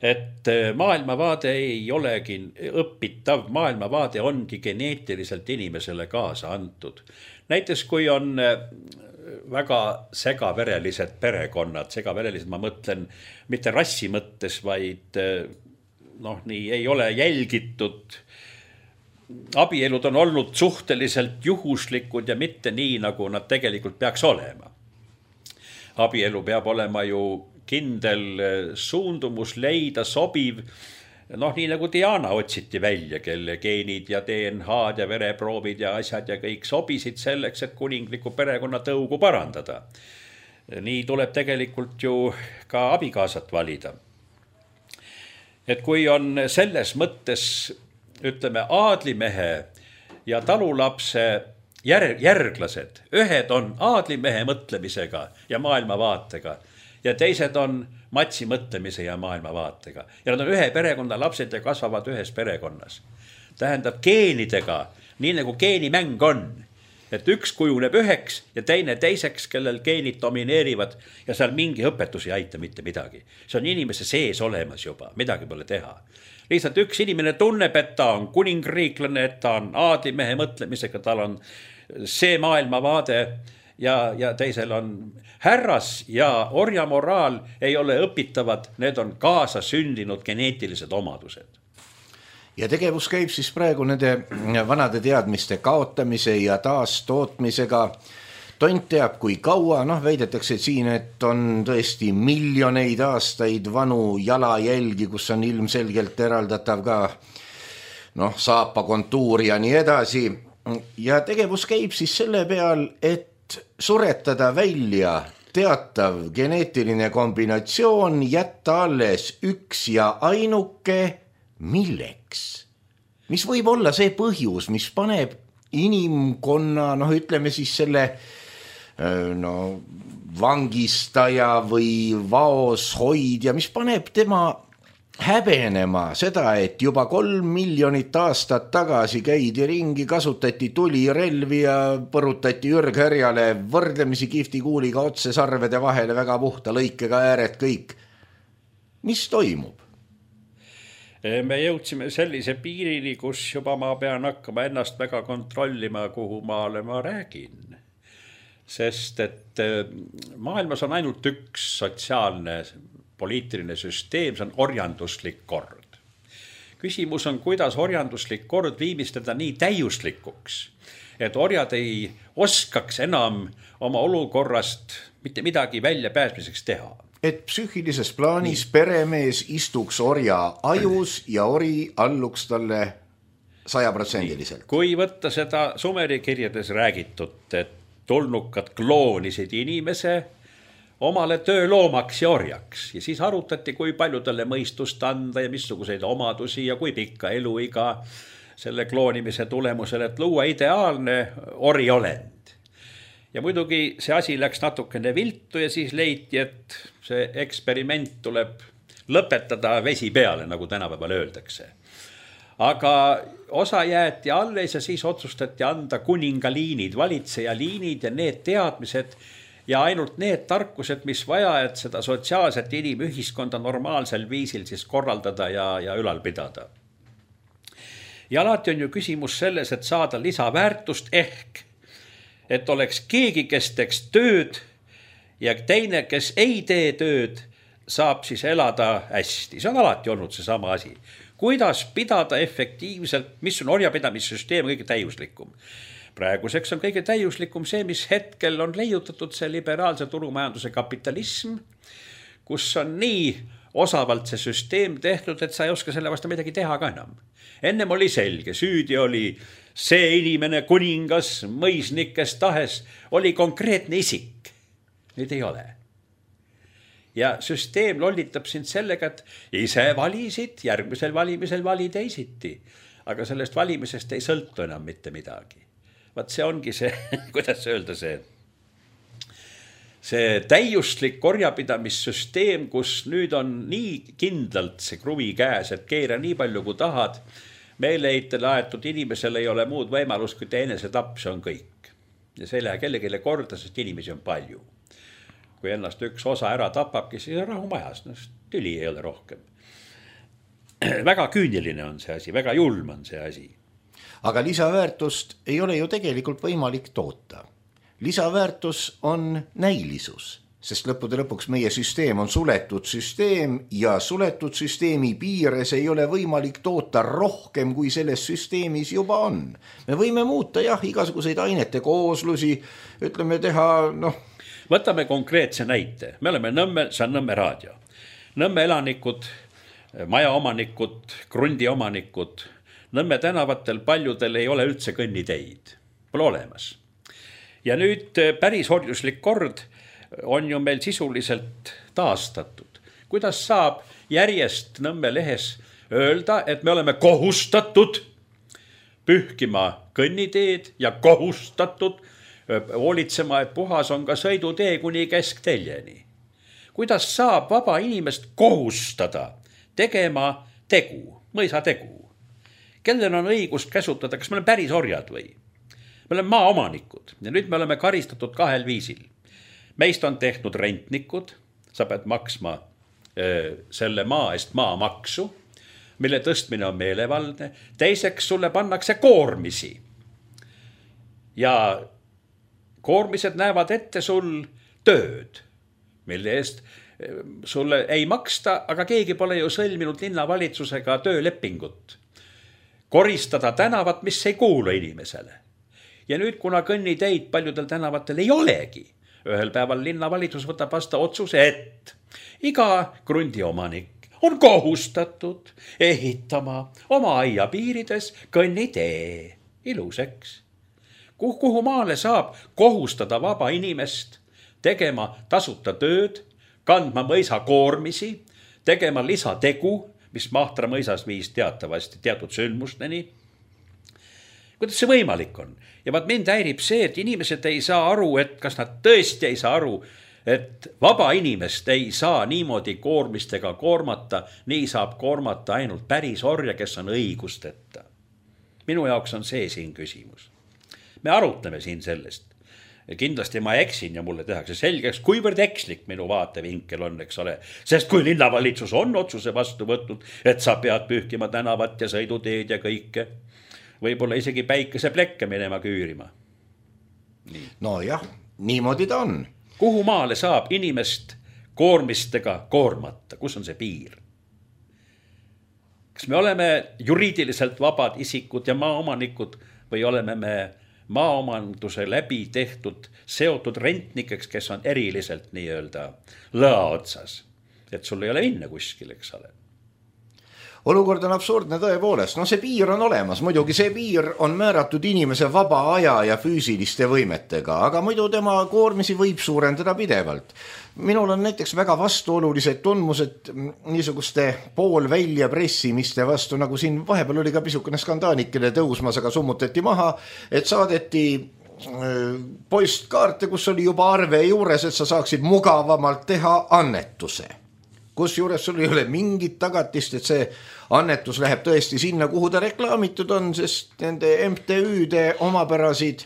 Et maailmavaade ei olegi õpitav, maailmavaade ongi geneetiliselt inimesele kaasa antud. Näiteks kui on väga segaverelised perekonnad, segaverelised ma mõtlen mitte rassi mõttes, vaid noh, nii ei ole jälgitud. Abielud on olnud suhteliselt juhuslikud ja mitte nii, nagu nad tegelikult peaks olema. Abielu peab olema ju kindel suundumus leida sobiv, noh nii nagu Diana otsiti välja, kelle geenid ja D N H-d ja vereproovid ja asjad ja kõik sobisid selleks, et kuningliku perekonna tõugu parandada. Nii tuleb tegelikult ju ka abikaasat valida. Et kui on selles mõttes, ütleme, aadlimehe ja talulapse järglased, ühed on aadlimehe mõtlemisega ja maailmavaatega ja teised on matsi mõtlemise ja maailmavaatega. Ja nad on ühe perekonna lapsed ja kasvavad ühes perekonnas. tähendab geenidega, nii nagu geenimäng on. Et üks kujuneb üheks ja teine teiseks, kellel geenid domineerivad ja seal mingi õpetus ei aita mitte midagi. See on inimese sees olemas juba, midagi pole teha. Lihtsalt üks inimene tunneb, et ta on kuningriiklane, et ta on aadlimehe mõtlemisega, tal on see maailmavaade ja, ja teisel on härras ja orjamoraal ei ole õpitavad, need on kaasa sündinud geneetilised omadused. Ja tegevus käib siis praegu nende vanade teadmiste kaotamise ja taastootmisega. Tont teab kui kaua, noh väidetakse siin, et on tõesti miljoneid aastaid vanu jalajälgi, kus on ilmselgelt eraldatav ka noh, saapa kontuur ja nii edasi. Ja tegevus käib siis selle peal, et suretada välja teatav geneetiline kombinatsioon, jätta alles üks ja ainuke. Milleks? Mis võib olla see põhjus, mis paneb inimkonna, noh ütleme siis selle no, vangistaja või vaos hoidja, mis paneb tema häbenema seda, et juba kolm miljonit aastat tagasi käidi ringi, kasutati tulirelvi ja põrutati ürghärjale võrdlemisi kiftikuuliga otse sarvede vahele väga puhta lõikega ääred kõik. Mis toimub? Me jõudsime sellise piirini, kus juba ma pean hakkama ennast väga kontrollima, kuhu maale ma räägin. Sest et maailmas on ainult üks sotsiaalne poliitiline süsteem, see on orjanduslik kord. Küsimus on, kuidas orjanduslik kord viimistada nii täiuslikuks, et orjad ei oskaks enam oma olukorrast mitte midagi välja pääsmiseks teha. Et psüühilises plaanis peremees istuks orja ajus ja ori alluks talle sajaprotsendiliselt. Kui võtta seda Sumeri kirjades räägitud, et tulnukad kloonisid inimese omale tööloomaks ja orjaks ja siis arutati, kui palju talle mõistust anda ja missuguseid omadusi ja kui pikka eluiga selle kloonimise tulemusel, et luua ideaalne oriolend. Ja muidugi see asi läks natukene viltu ja siis leiti, et see eksperiment tuleb lõpetada vesi peale, nagu tänapäeval öeldakse. Aga osa jäeti alles ja siis otsustati anda kuningaliinid, valitsejaliinid ja need teadmised ja ainult need tarkused, mis vaja, et seda sotsiaalset inimühiskonda normaalsel viisil siis korraldada ja, ja ülal pidada. Ja alati on ju küsimus selles, et saada lisaväärtust ehk et oleks keegi, kes teeks tööd ja teine, kes ei tee tööd, saab siis elada hästi. See on alati olnud see sama asi. Kuidas pidada efektiivselt, mis on orjapidamissüsteem kõige täiuslikum? Praeguseks on kõige täiuslikum see, mis hetkel on leiutatud see liberaalse turumajanduse kapitalism, kus on nii osavalt see süsteem tehtud, et sa ei oska selle vastu midagi teha ka enam. Ennem oli selge, süüdi oli see inimene, kuningas, mõisnik, kes tahes, oli konkreetne isik. Nüüd ei ole. Ja süsteem lollitab sind sellega, et ise valisid, järgmisel valimisel vali teisiti. Aga sellest valimisest ei sõltu enam mitte midagi. Vaat see ongi see, kuidas öelda see, see täiuslik korjapidamissüsteem, kus nüüd on nii kindlalt see kruvi käes, et keera nii palju kui tahad, meeleheitele aetud inimesel ei ole muud võimalust, kui teenese tapp, see on kõik. Ja see ei lähe kellegile korda, sest inimesi on palju. Kui ennast üks osa ära tapabki, siis on rahu majas, no, tüli ei ole rohkem. Väga küüniline on see asi, väga julm on see asi. Aga lisaväärtust ei ole ju tegelikult võimalik toota. Lisaväärtus on näilisus. Sest lõppude lõpuks meie süsteem on suletud süsteem ja suletud süsteemi piires ei ole võimalik toota rohkem, kui selles süsteemis juba on. Me võime muuta jah, igasuguseid ainete kooslusi, ütleme teha, noh. Võtame konkreetse näite. Me oleme Nõmme, see on Nõmme raadio. Nõmme elanikud, majaomanikud, krundiomanikud, Nõmme tänavatel paljudel ei ole üldse kõnniteid. Pole olemas. Ja nüüd päris orjuslik kord on ju meil sisuliselt taastatud. Kuidas saab järjest Nõmme lehes öelda, et me oleme kohustatud pühkima kõnniteed ja kohustatud hoolitsema, et puhas on ka sõidutee kuni keskteljeni. Kuidas saab vaba inimest kohustada tegema tegu, mõisa tegu? kellel on õigus käsutada, kas me oleme päris orjad või? Me oleme maaomanikud ja nüüd me oleme karistatud kahel viisil. Meist on tehtud rentnikud, sa pead maksma öö, selle maa eest maamaksu, mille tõstmine on meelevaldne. Teiseks sulle pannakse koormisi. Ja koormised näevad ette sul tööd, mille eest sulle ei maksta, aga keegi pole ju sõlminud linnavalitsusega töölepingut. Koristada tänavat, mis ei kuulu inimesele. Ja nüüd, kuna kõnniteid paljudel tänavatel ei olegi, ühel päeval linnavalitsus võtab vastu otsuse, et iga krundiomanik on kohustatud ehitama oma aia piirides kõnnitee iluseks. Kuhu, kuhu maale saab kohustada vaba inimest tegema tasuta tööd, kandma mõisa koormisi, tegema lisategu, mis Mahtra mõisas viis teatavasti teatud sündmusteni. Kuidas see võimalik on? Ja vaat mind häirib see, et inimesed ei saa aru, et kas nad tõesti ei saa aru, et vaba inimest ei saa niimoodi koormistega koormata, nii saab koormata ainult päris orja, kes on õigusteta. Minu jaoks on see siin küsimus. Me arutleme siin sellest. Kindlasti ma eksin ja mulle tehakse selgeks, kuivõrd ekslik minu vaatevinkel on, eks ole. Sest kui linnavalitsus on otsuse vastu võtnud, et sa pead pühkima tänavat ja sõiduteed ja kõike, võib-olla isegi päikese plekke minema küürima. Nii. No jah, niimoodi ta on. Kuhu maale saab inimest koormistega koormata? Kus on see piir? Kas me oleme juriidiliselt vabad isikud ja maaomanikud või oleme me maaomanduse läbi tehtud seotud rentnikeks, kes on eriliselt nii-öelda lõa otsas, et sul ei ole minna kuskil, eks ole. Olukord on absurdne tõepoolest. No see piir on olemas. Muidugi see piir on määratud inimese vaba aja ja füüsiliste võimetega, aga muidu tema koormisi võib suurendada pidevalt. Minul on näiteks väga vastuolulised tundmused niisuguste poolvälja pressimiste vastu, nagu siin vahepeal oli ka pisukene skandaanikene tõusmas, aga summutati maha, et saadeti postkaarte, kus oli juba arve juures, et sa saaksid mugavamalt teha annetuse. Kus juures sul ei ole mingit tagatist, et see annetus läheb tõesti sinna, kuhu ta reklaamitud on, sest nende M T Ü-de omapärasid,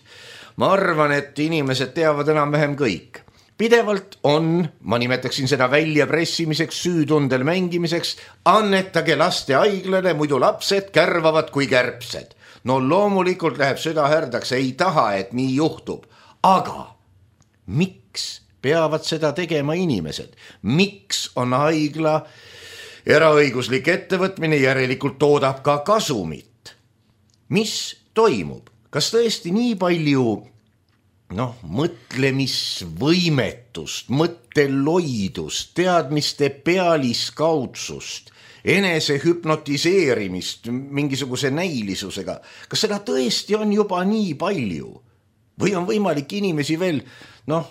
ma arvan, et inimesed teavad enam vähem kõik. Pidevalt on, ma nimetaksin seda välja pressimiseks, süütundel mängimiseks, annetage laste haiglale, muidu lapsed kärvavad kui kärbsed. No loomulikult läheb süda härdaks, ei taha, et nii juhtub. Aga miks peavad seda tegema inimesed? Miks on haigla eraõiguslik ettevõtmine, järelikult toodab ka kasumit? Mis toimub? Kas tõesti nii palju noh, mõtlemisvõimetust, mõtteloidust, teadmiste pealiskaudsust, enese hüpnotiseerimist mingisuguse näilisusega? Kas seda tõesti on juba nii palju? Või on võimalik inimesi veel, noh,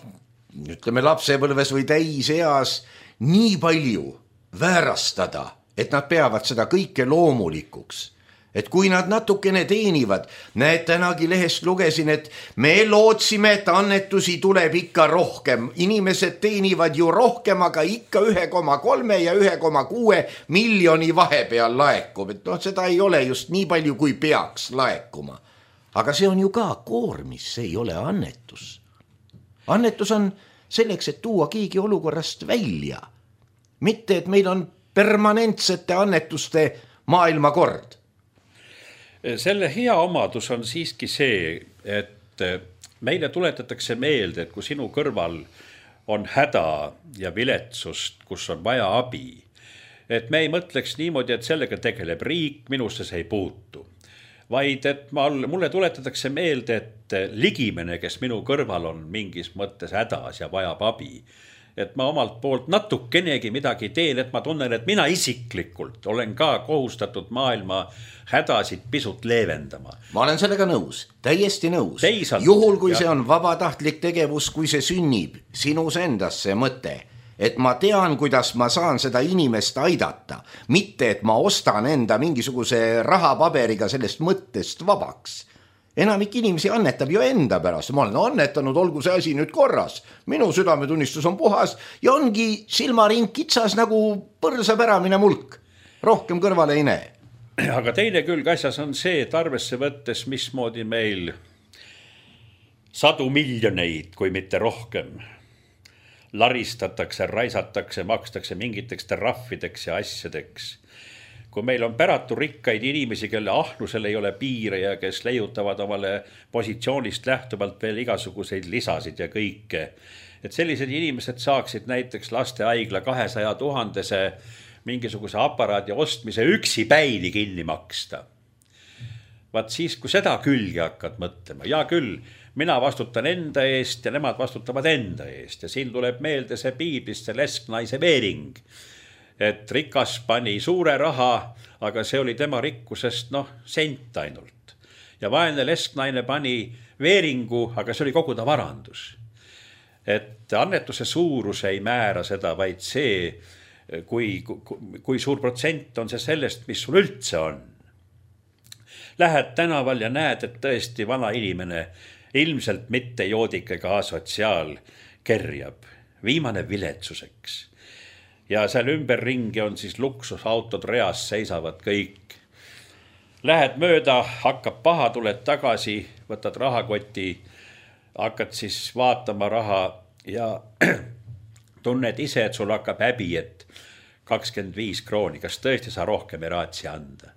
ütleme lapsepõlves või täiseas nii palju väärastada, et nad peavad seda kõike loomulikuks. Et kui nad natukene teenivad, näed, tänagi lehest lugesin, et me lootsime, et annetusi tuleb ikka rohkem. Inimesed teenivad ju rohkem, aga ikka üks koma kolm ja üks koma kuus miljoni vahepeal laekub. Et noh, seda ei ole just nii palju, kui peaks laekuma. Aga see on ju ka koormis, see ei ole annetus. Annetus on selleks, et tuua keegi olukorrast välja. Mitte, et meil on permanentsete annetuste maailmakord. Selle hea omadus on siiski see, et meile tuletatakse meelde, et kui sinu kõrval on häda ja viletsust, kus on vaja abi, et me ei mõtleks niimoodi, et sellega tegeleb riik, minusse see ei puutu. Vaid et mulle tuletatakse meelde, et ligimene, kes minu kõrval on mingis mõttes hädas ja vajab abi, et ma omalt poolt natukenegi midagi teen, et ma tunnen, et mina isiklikult olen ka kohustatud maailma hädasid pisut leevendama. Ma olen sellega nõus, täiesti nõus. Teisalt, Juhul, kui ja. see on vabatahtlik tegevus, kui see sünnib sinus endas see mõte, et ma tean, kuidas ma saan seda inimest aidata, mitte et ma ostan enda mingisuguse rahapaberiga sellest mõttest vabaks. Enamik inimesi annetab ju enda pärast. Ma olen annetanud, olgu see asi nüüd korras. Minu südametunnistus on puhas ja ongi silmaring kitsas nagu põrsapäramine mulk. Rohkem kõrvale ei näe. aga teine külg asjas on see, et arvesse võttes, mismoodi meil sadu miljoneid, kui mitte rohkem, laristatakse, raisatakse, makstakse mingiteks trahvideks ja asjadeks. Kui meil on päratu rikkaid inimesi, kelle ahnusel ei ole piire ja kes leiutavad omale positsioonist lähtuvalt veel igasuguseid lisasid ja kõike, et sellised inimesed saaksid näiteks lastehaigla kahesaja tuhandese mingisuguse aparaadi ostmise üksi päini kinni maksta. Vaat siis, kui seda külge hakkad mõtlema, ja küll, mina vastutan enda eest ja nemad vastutavad enda eest ja siin tuleb meelde see piiblist see lesknaise veering, et rikas pani suure raha, aga see oli tema rikkusest noh, sent ainult. Ja vaene lesknaine pani veeringu, aga see oli kogu ta varandus. Et annetuse suurus ei määra seda, vaid see, kui, kui, kui suur protsent on see sellest, mis sul üldse on. Lähed tänaval ja näed, et tõesti vana inimene ilmselt mitte joodik ega asotsiaal kerjab, viimane viletsuseks. Ja seal ümberringi on siis luksusautod reas, seisavad kõik. Lähed mööda, hakkab paha, tuled tagasi, võtad rahakoti, hakkad siis vaatama raha ja tunned ise, et sul hakkab häbi, et kakskümmend viis krooni, kas tõesti sa rohkem ei raatsi anda?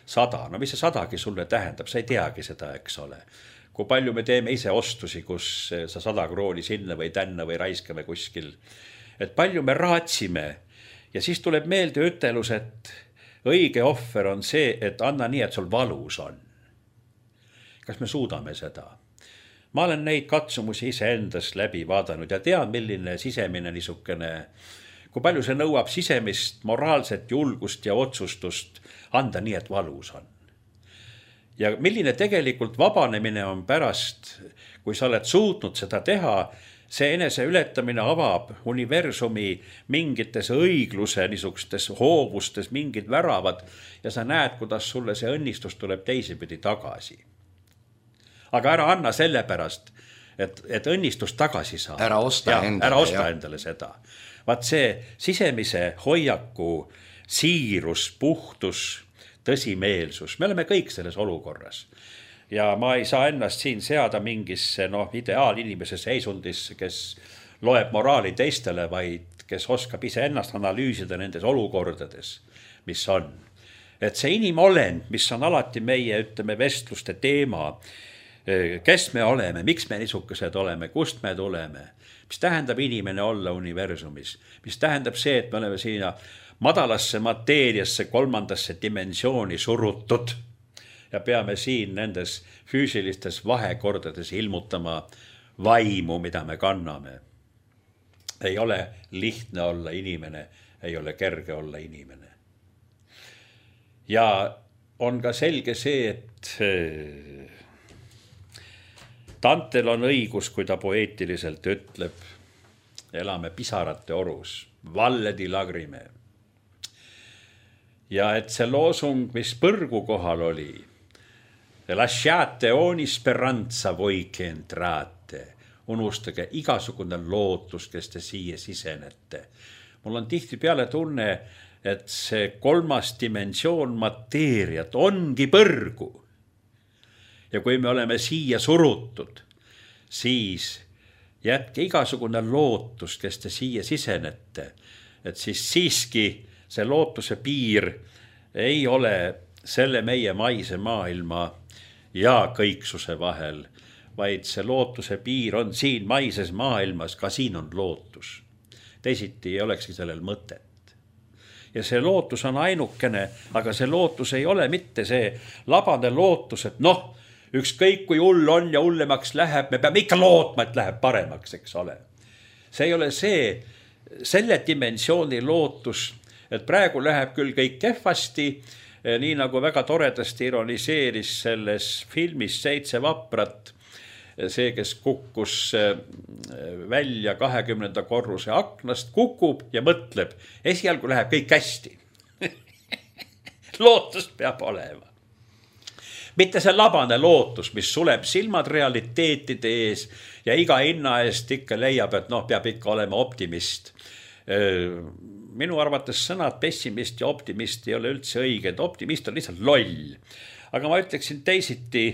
Sada, no mis see sadagi sulle tähendab, sa ei teagi seda, eks ole. Kui palju me teeme ise ostusi, kus sa sada krooni sinna või tänna või raiskame kuskil. Et palju me raatsime ja siis tuleb meelde ütelus, et õige ohver on see, et anna nii, et sul valus on. Kas me suudame seda? Ma olen neid katsumusi ise endast läbi vaadanud ja tean, milline sisemine niisugune, kui palju see nõuab sisemist moraalset julgust ja otsustust anda nii, et valus on. Ja milline tegelikult vabanemine on pärast, kui sa oled suutnud seda teha, see enese ületamine avab universumi mingites õigluse niisugustes hoovustes, mingid väravad ja sa näed, kuidas sulle see õnnistus tuleb teisipidi tagasi. Aga ära anna selle pärast, et, et õnnistus tagasi saa. Ära osta ja, endale. Ära osta endale seda. Vaat see sisemise hoiaku, siirus, puhtus, tõsimeelsus, me oleme kõik selles olukorras. Ja ma ei saa ennast siin seada mingisse no, ideaalinimese seisundisse, kes loeb moraali teistele, vaid kes oskab ise ennast analüüsida nendes olukordades, mis on. Et see inimolend, mis on alati meie, ütleme, vestluste teema, kes me oleme, miks me niisugused oleme, kust me tuleme, mis tähendab inimene olla universumis, mis tähendab see, et me oleme siin madalasse mateeriasse, kolmandasse dimensiooni surutud ja peame siin nendes füüsilistes vahekordades ilmutama vaimu, mida me kanname. Ei ole lihtne olla inimene, ei ole kerge olla inimene. Ja on ka selge see, et Dantel on õigus, kui ta poeetiliselt ütleb, elame pisarate orus, valle di lagrime. Ja et see loosung, mis põrgu kohal oli, lasciate ogni speranza voi che entrate, unustage igasugune lootus, kes te siia sisenete. Mul on tihti peale tunne, et see kolmas dimensioon mateeriat ongi põrgu. Ja kui me oleme siia surutud, siis jätke igasugune lootus, kes te siia sisenete, et siis siiski see lootuse piir ei ole selle meie maise maailma ja kõiksuse vahel, vaid see lootuse piir on siin maises maailmas, ka siin on lootus. Teisiti ei olekski sellel mõtet. Ja see lootus on ainukene, aga see lootus ei ole mitte see labane lootus, et noh, ükskõik kui hull on ja hullemaks läheb, me peame ikka lootma, et läheb paremaks, eks ole. See ei ole see, selle dimensiooni lootus, et praegu läheb küll kõik kehvasti, nii nagu väga toredasti ironiseeris selles filmis Seitse vaprat, see, kes kukkus välja kahekümnenda korruse aknast, kukub ja mõtleb, esialgu läheb kõik hästi. Lootus peab olema. Mitte see labane lootus, mis suleb silmad realiteetide ees ja iga hinna eest ikka leiab, et noh, peab ikka olema optimist. minu arvates sõnad pessimist ja optimist ei ole üldse õiged, optimist on lihtsalt loll. Aga ma ütleksin teisiti,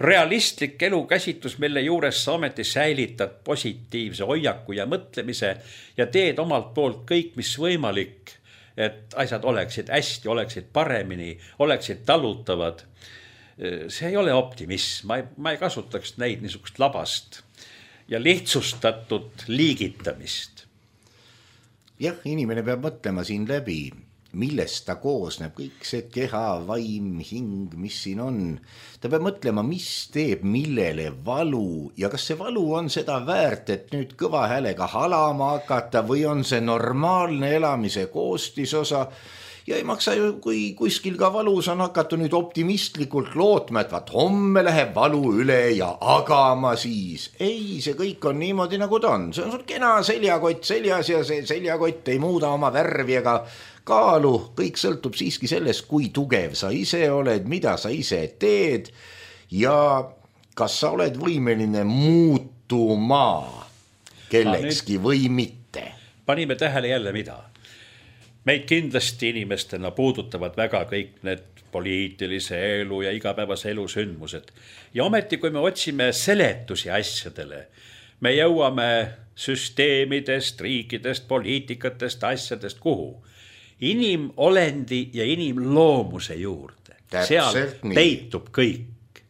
realistlik elukäsitlus, mille juures sa ometi säilitad positiivse hoiaku ja mõtlemise ja teed omalt poolt kõik, mis võimalik, et asjad oleksid hästi, oleksid paremini, oleksid talutavad. See ei ole optimism, ma ei, ma ei kasutaks neid niisugust labast ja lihtsustatud liigitamist. Jah, inimene peab mõtlema siin läbi, millest ta koosneb, kõik see keha, vaim, hing, mis siin on. Ta peab mõtlema, mis teeb millele valu ja kas see valu on seda väärt, et nüüd kõva häälega halama hakata või on see normaalne elamise koostisosa. Ja ei maksa ju, kui kuskil ka valus on hakata nüüd optimistlikult lootma, et vaat homme läheb valu üle ja agama siis. Ei, see kõik on niimoodi nagu ta on. See on sul kena seljakott seljas ja see seljakott ei muuda oma värvi ega kaalu. Kõik sõltub siiski sellest, kui tugev sa ise oled, mida sa ise teed ja kas sa oled võimeline muutuma kellekski või mitte. Panime tähele jälle mida? Meid kindlasti inimestena puudutavad väga kõik need poliitilise elu ja igapäevase elu sündmused. Ja ometi, kui me otsime seletusi asjadele, me jõuame süsteemidest, riikidest, poliitikatest, asjadest kuhu? Inimolendi ja inimloomuse juurde. Seal peitub kõik.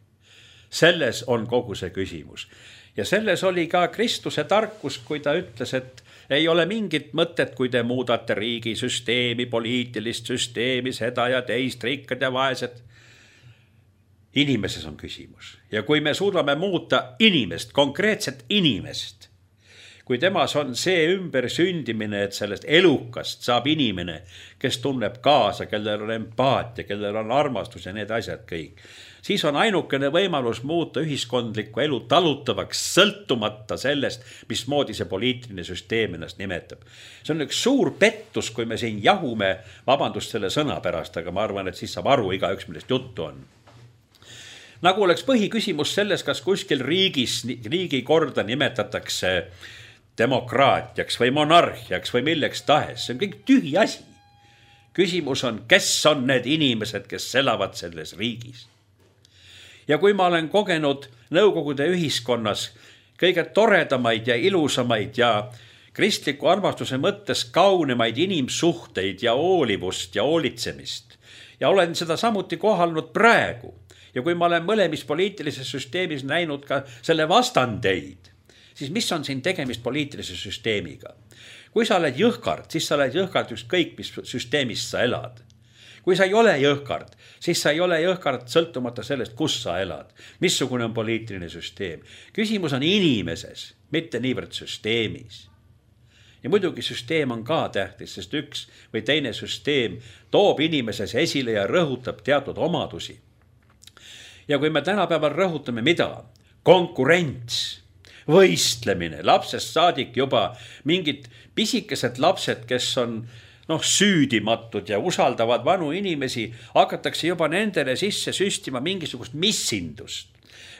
Selles on kogu see küsimus. Ja selles oli ka Kristuse tarkus, kui ta ütles, et ei ole mingit mõtet, kui te muudate riigi süsteemi, poliitilist süsteemi, seda ja teist, rikkad ja vaesed. Inimeses on küsimus. Ja kui me suudame muuta inimest, konkreetset inimest, kui temas on see ümber sündimine, et sellest elukast saab inimene, kes tunneb kaasa, kellel on empaatia, kellel on armastus ja need asjad kõik, siis on ainukene võimalus muuta ühiskondlikku elu talutavaks, sõltumata sellest, mismoodi see poliitiline süsteem ennast nimetab. See on üks suur pettus, kui me siin jahume, vabandust selle sõna pärast, aga ma arvan, et siis saab aru igaüks, millest juttu on. Nagu oleks põhiküsimus selles, kas kuskil riigis, riigi korda nimetatakse demokraatiaks või monarhiaks või milleks tahes. See on kõik tühi asi. Küsimus on, kes on need inimesed, kes elavad selles riigis. Ja kui ma olen kogenud Nõukogude ühiskonnas kõige toredamaid ja ilusamaid ja kristliku armastuse mõttes kaunemaid inimsuhteid ja hoolivust ja hoolitsemist ja olen seda samuti kohanud praegu ja kui ma olen mõlemis poliitilises süsteemis näinud ka selle vastandeid, siis mis on siin tegemist poliitilise süsteemiga? Kui sa oled jõhkard, siis sa oled jõhkard ükskõik, mis süsteemis sa elad. Kui sa ei ole jõhkard, siis sa ei ole jõhkard sõltumata sellest, kus sa elad. Missugune on poliitiline süsteem? Küsimus on inimeses, mitte niivõrd süsteemis. Ja muidugi süsteem on ka tähtis, sest üks või teine süsteem toob inimeses esile ja rõhutab teatud omadusi. Ja kui me tänapäeval rõhutame mida? Konkurents, võistlemine, lapsest saadik juba mingid pisikesed lapsed, kes on noh, süüdimatud ja usaldavad vanu inimesi, hakatakse juba nendele sisse süstima mingisugust missindust.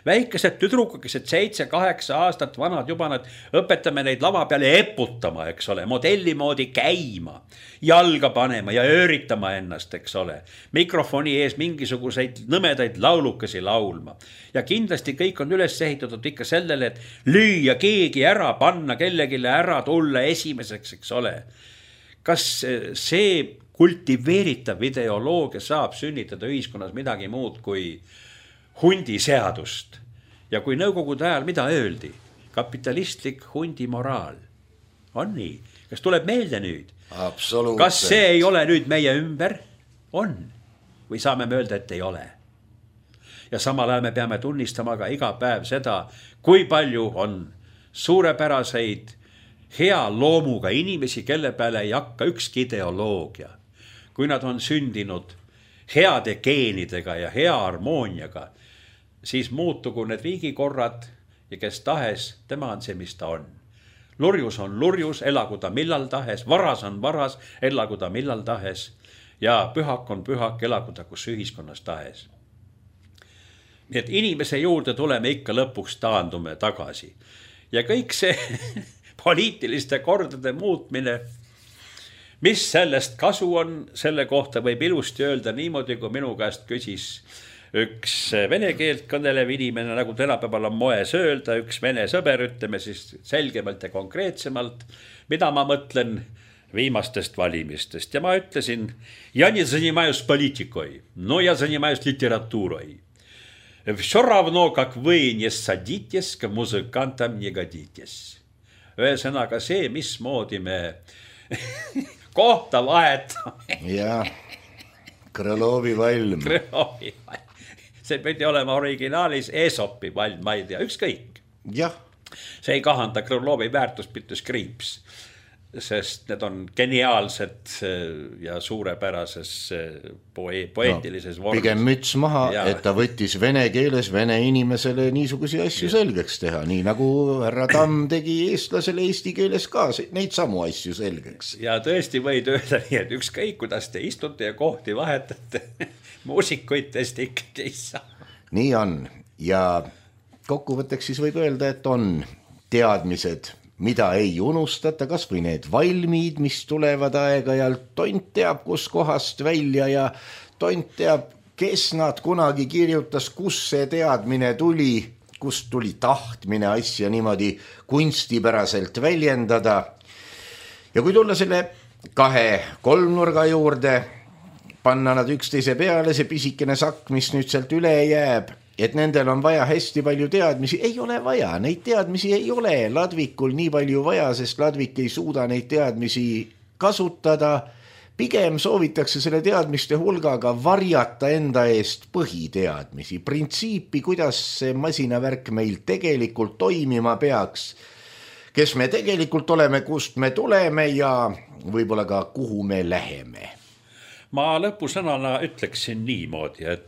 Väikesed tüdrukakesed seitse, kaheksa aastat vanad juba nad õpetame neid lava peale eputama, eks ole, modelli moodi käima, jalga panema ja ööritama ennast, eks ole, mikrofoni ees mingisuguseid nõmedaid laulukesi laulma. Ja kindlasti kõik on üles ehitatud ikka sellele, et lüüa keegi ära, panna kellegile ära, tulla esimeseks, eks ole. Kas see kultiveeritav ideoloogia saab sünnitada ühiskonnas midagi muud kui hundi seadust? Ja kui Nõukogude ajal mida öeldi? Kapitalistlik hundi moraal. On nii? Kas tuleb meelde nüüd? Absoluutselt. Kas see ei ole nüüd meie ümber? On. Või saame me öelda, et ei ole? Ja samal ajal me peame tunnistama ka iga päev seda, kui palju on suurepäraseid hea loomuga inimesi, kelle peale ei hakka ükski ideoloogia. Kui nad on sündinud heade geenidega ja hea harmooniaga, siis muutugu need riigikorrad ja kes tahes, tema on see, mis ta on. Lurjus on lurjus, elagu ta millal tahes, varas on varas, elagu ta millal tahes ja pühak on pühak, elagu ta kus ühiskonnas tahes. Nii et inimese juurde tuleme ikka lõpuks taandume tagasi. Ja kõik see poliitiliste kordade muutmine, mis sellest kasu on, selle kohta võib ilusti öelda niimoodi, kui minu käest küsis üks vene keelt kõnelev inimene, nagu tänapäeval on moes öelda, üks vene sõber, ütleme siis selgemalt ja konkreetsemalt, mida ma mõtlen viimastest valimistest. Ja ma ütlesin, ja не занимаюсь политикой, но я занимаюсь литературой. Все равно, как вы не садитесь, к музыкантам не годитесь. Ühesõnaga see, mismoodi me kohta vahetame. Ja, Krõlovi valm. Krõlovi valm. See pidi olema originaalis Aesopi valm, ma ei tea, ükskõik. Jah. See ei kahanda Krõlovi väärtuspittus kriips, sest need on geniaalsed ja suurepärases poe poeetilises no, vormis. Pigem müts maha, ja. Et ta võttis vene keeles vene inimesele niisugusi asju ja. Selgeks teha, nii nagu härra Tamm tegi eestlasele eesti keeles ka neid samu asju selgeks. Ja tõesti võid öelda nii, et ükskõik, kuidas te istute ja kohti vahetate, muusikuid tõesti ikkagi ei saa. Nii on ja kokkuvõtteks siis võib öelda, et on teadmised, mida ei unustata, kas või need valmid, mis tulevad aeg-ajalt, tont teab, kus kohast välja ja tont teab, kes nad kunagi kirjutas, kus see teadmine tuli, kust tuli tahtmine asja niimoodi kunstipäraselt väljendada. Ja kui tulla selle kahe kolmnurga juurde, panna nad üksteise peale, see pisikene sakk, mis nüüd sealt üle jääb, et nendel on vaja hästi palju teadmisi, ei ole vaja, neid teadmisi ei ole Ladvikul nii palju vaja, sest Ladvik ei suuda neid teadmisi kasutada. Pigem soovitakse selle teadmiste hulgaga varjata enda eest põhiteadmisi, printsiipi, kuidas see masinavärk meil tegelikult toimima peaks, kes me tegelikult oleme, kust me tuleme ja võib-olla ka kuhu me läheme. Ma lõpusõnana ütleksin niimoodi, et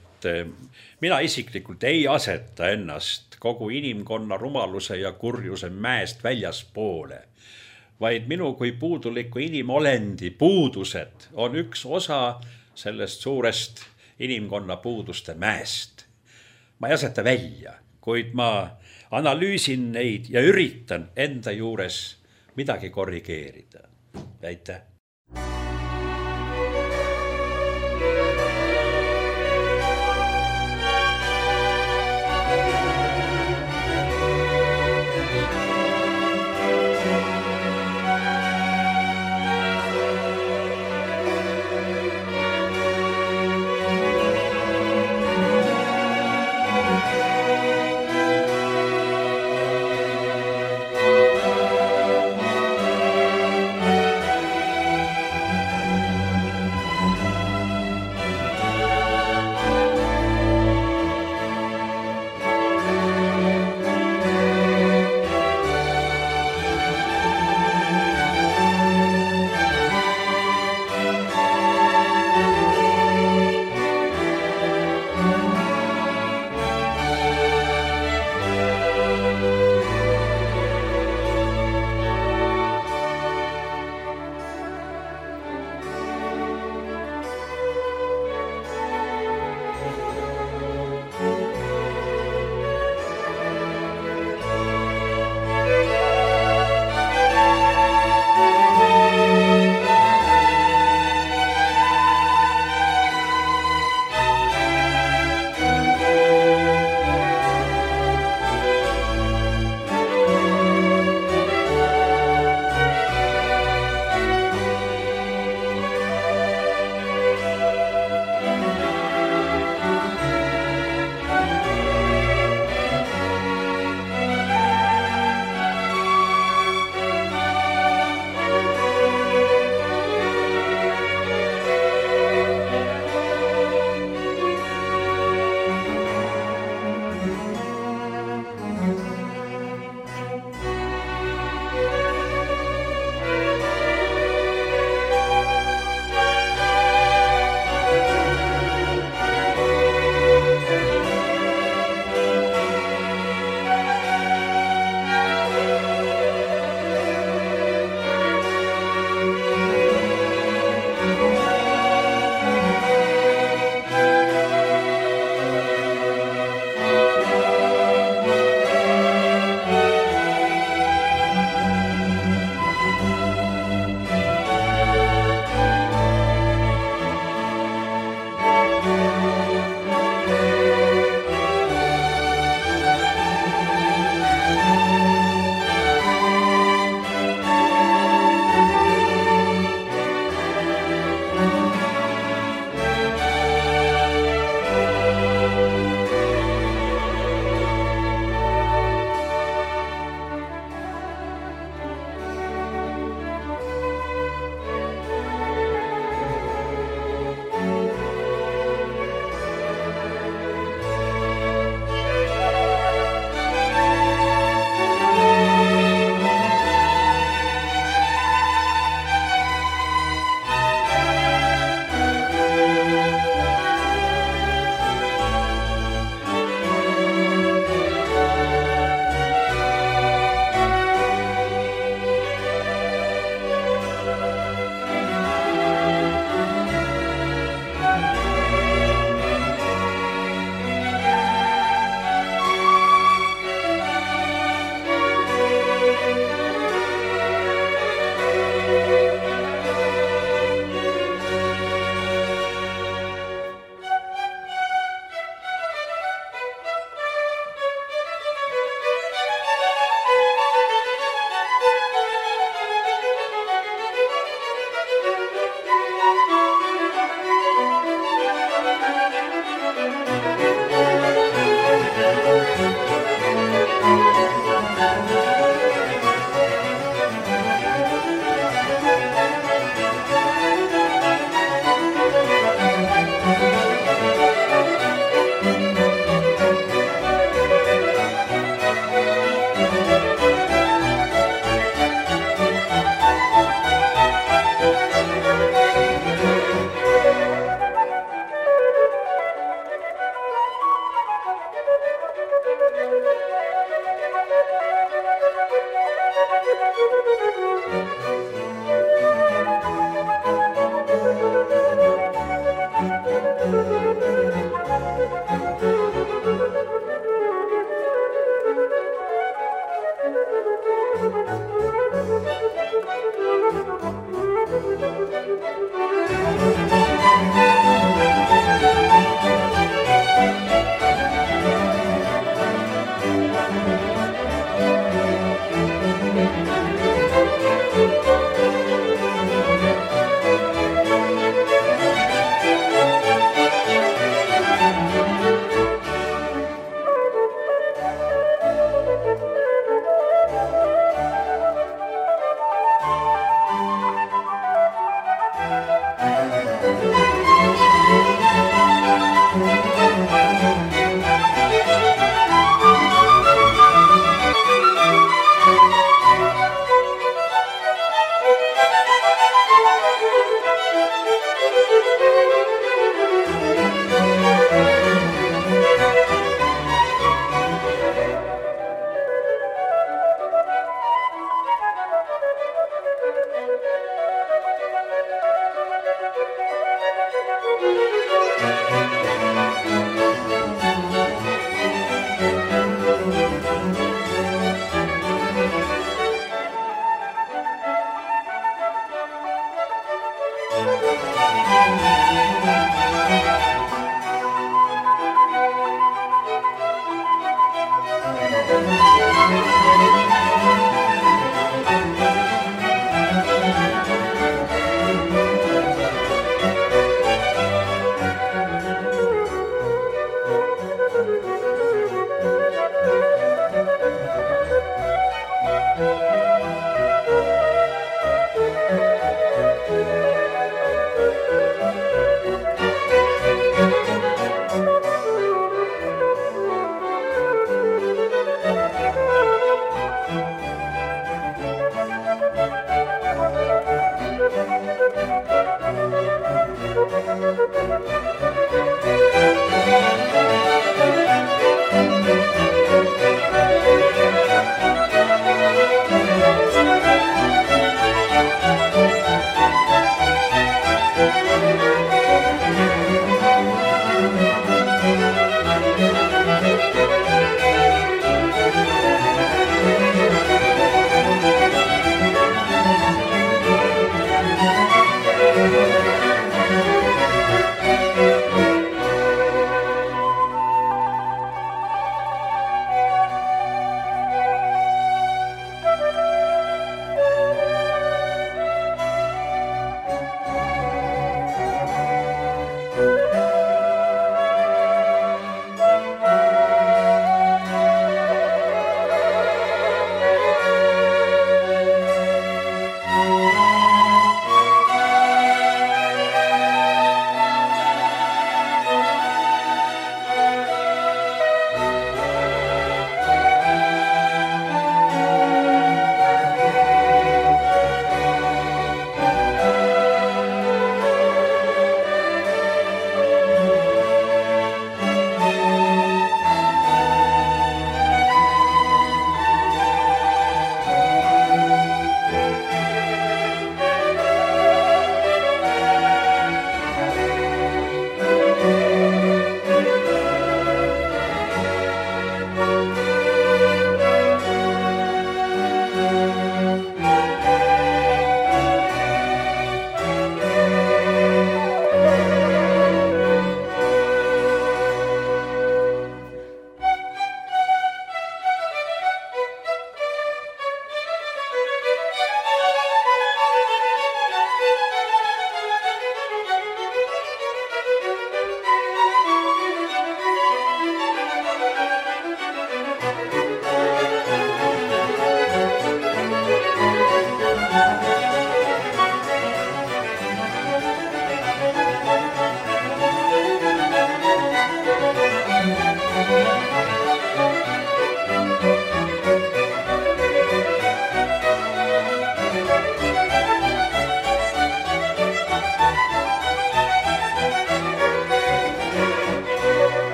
mina isiklikult ei aseta ennast kogu inimkonna rumaluse ja kurjuse mäest väljaspoole, vaid minu kui puuduliku inimolendi puudused on üks osa sellest suurest inimkonna puuduste mäest. Ma ei aseta välja, kuid ma analüüsin neid ja üritan enda juures midagi korrigeerida. Aitäh!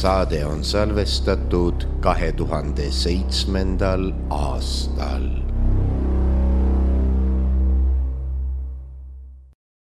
Saade on salvestatud kahe tuhande seitsmendal aastal.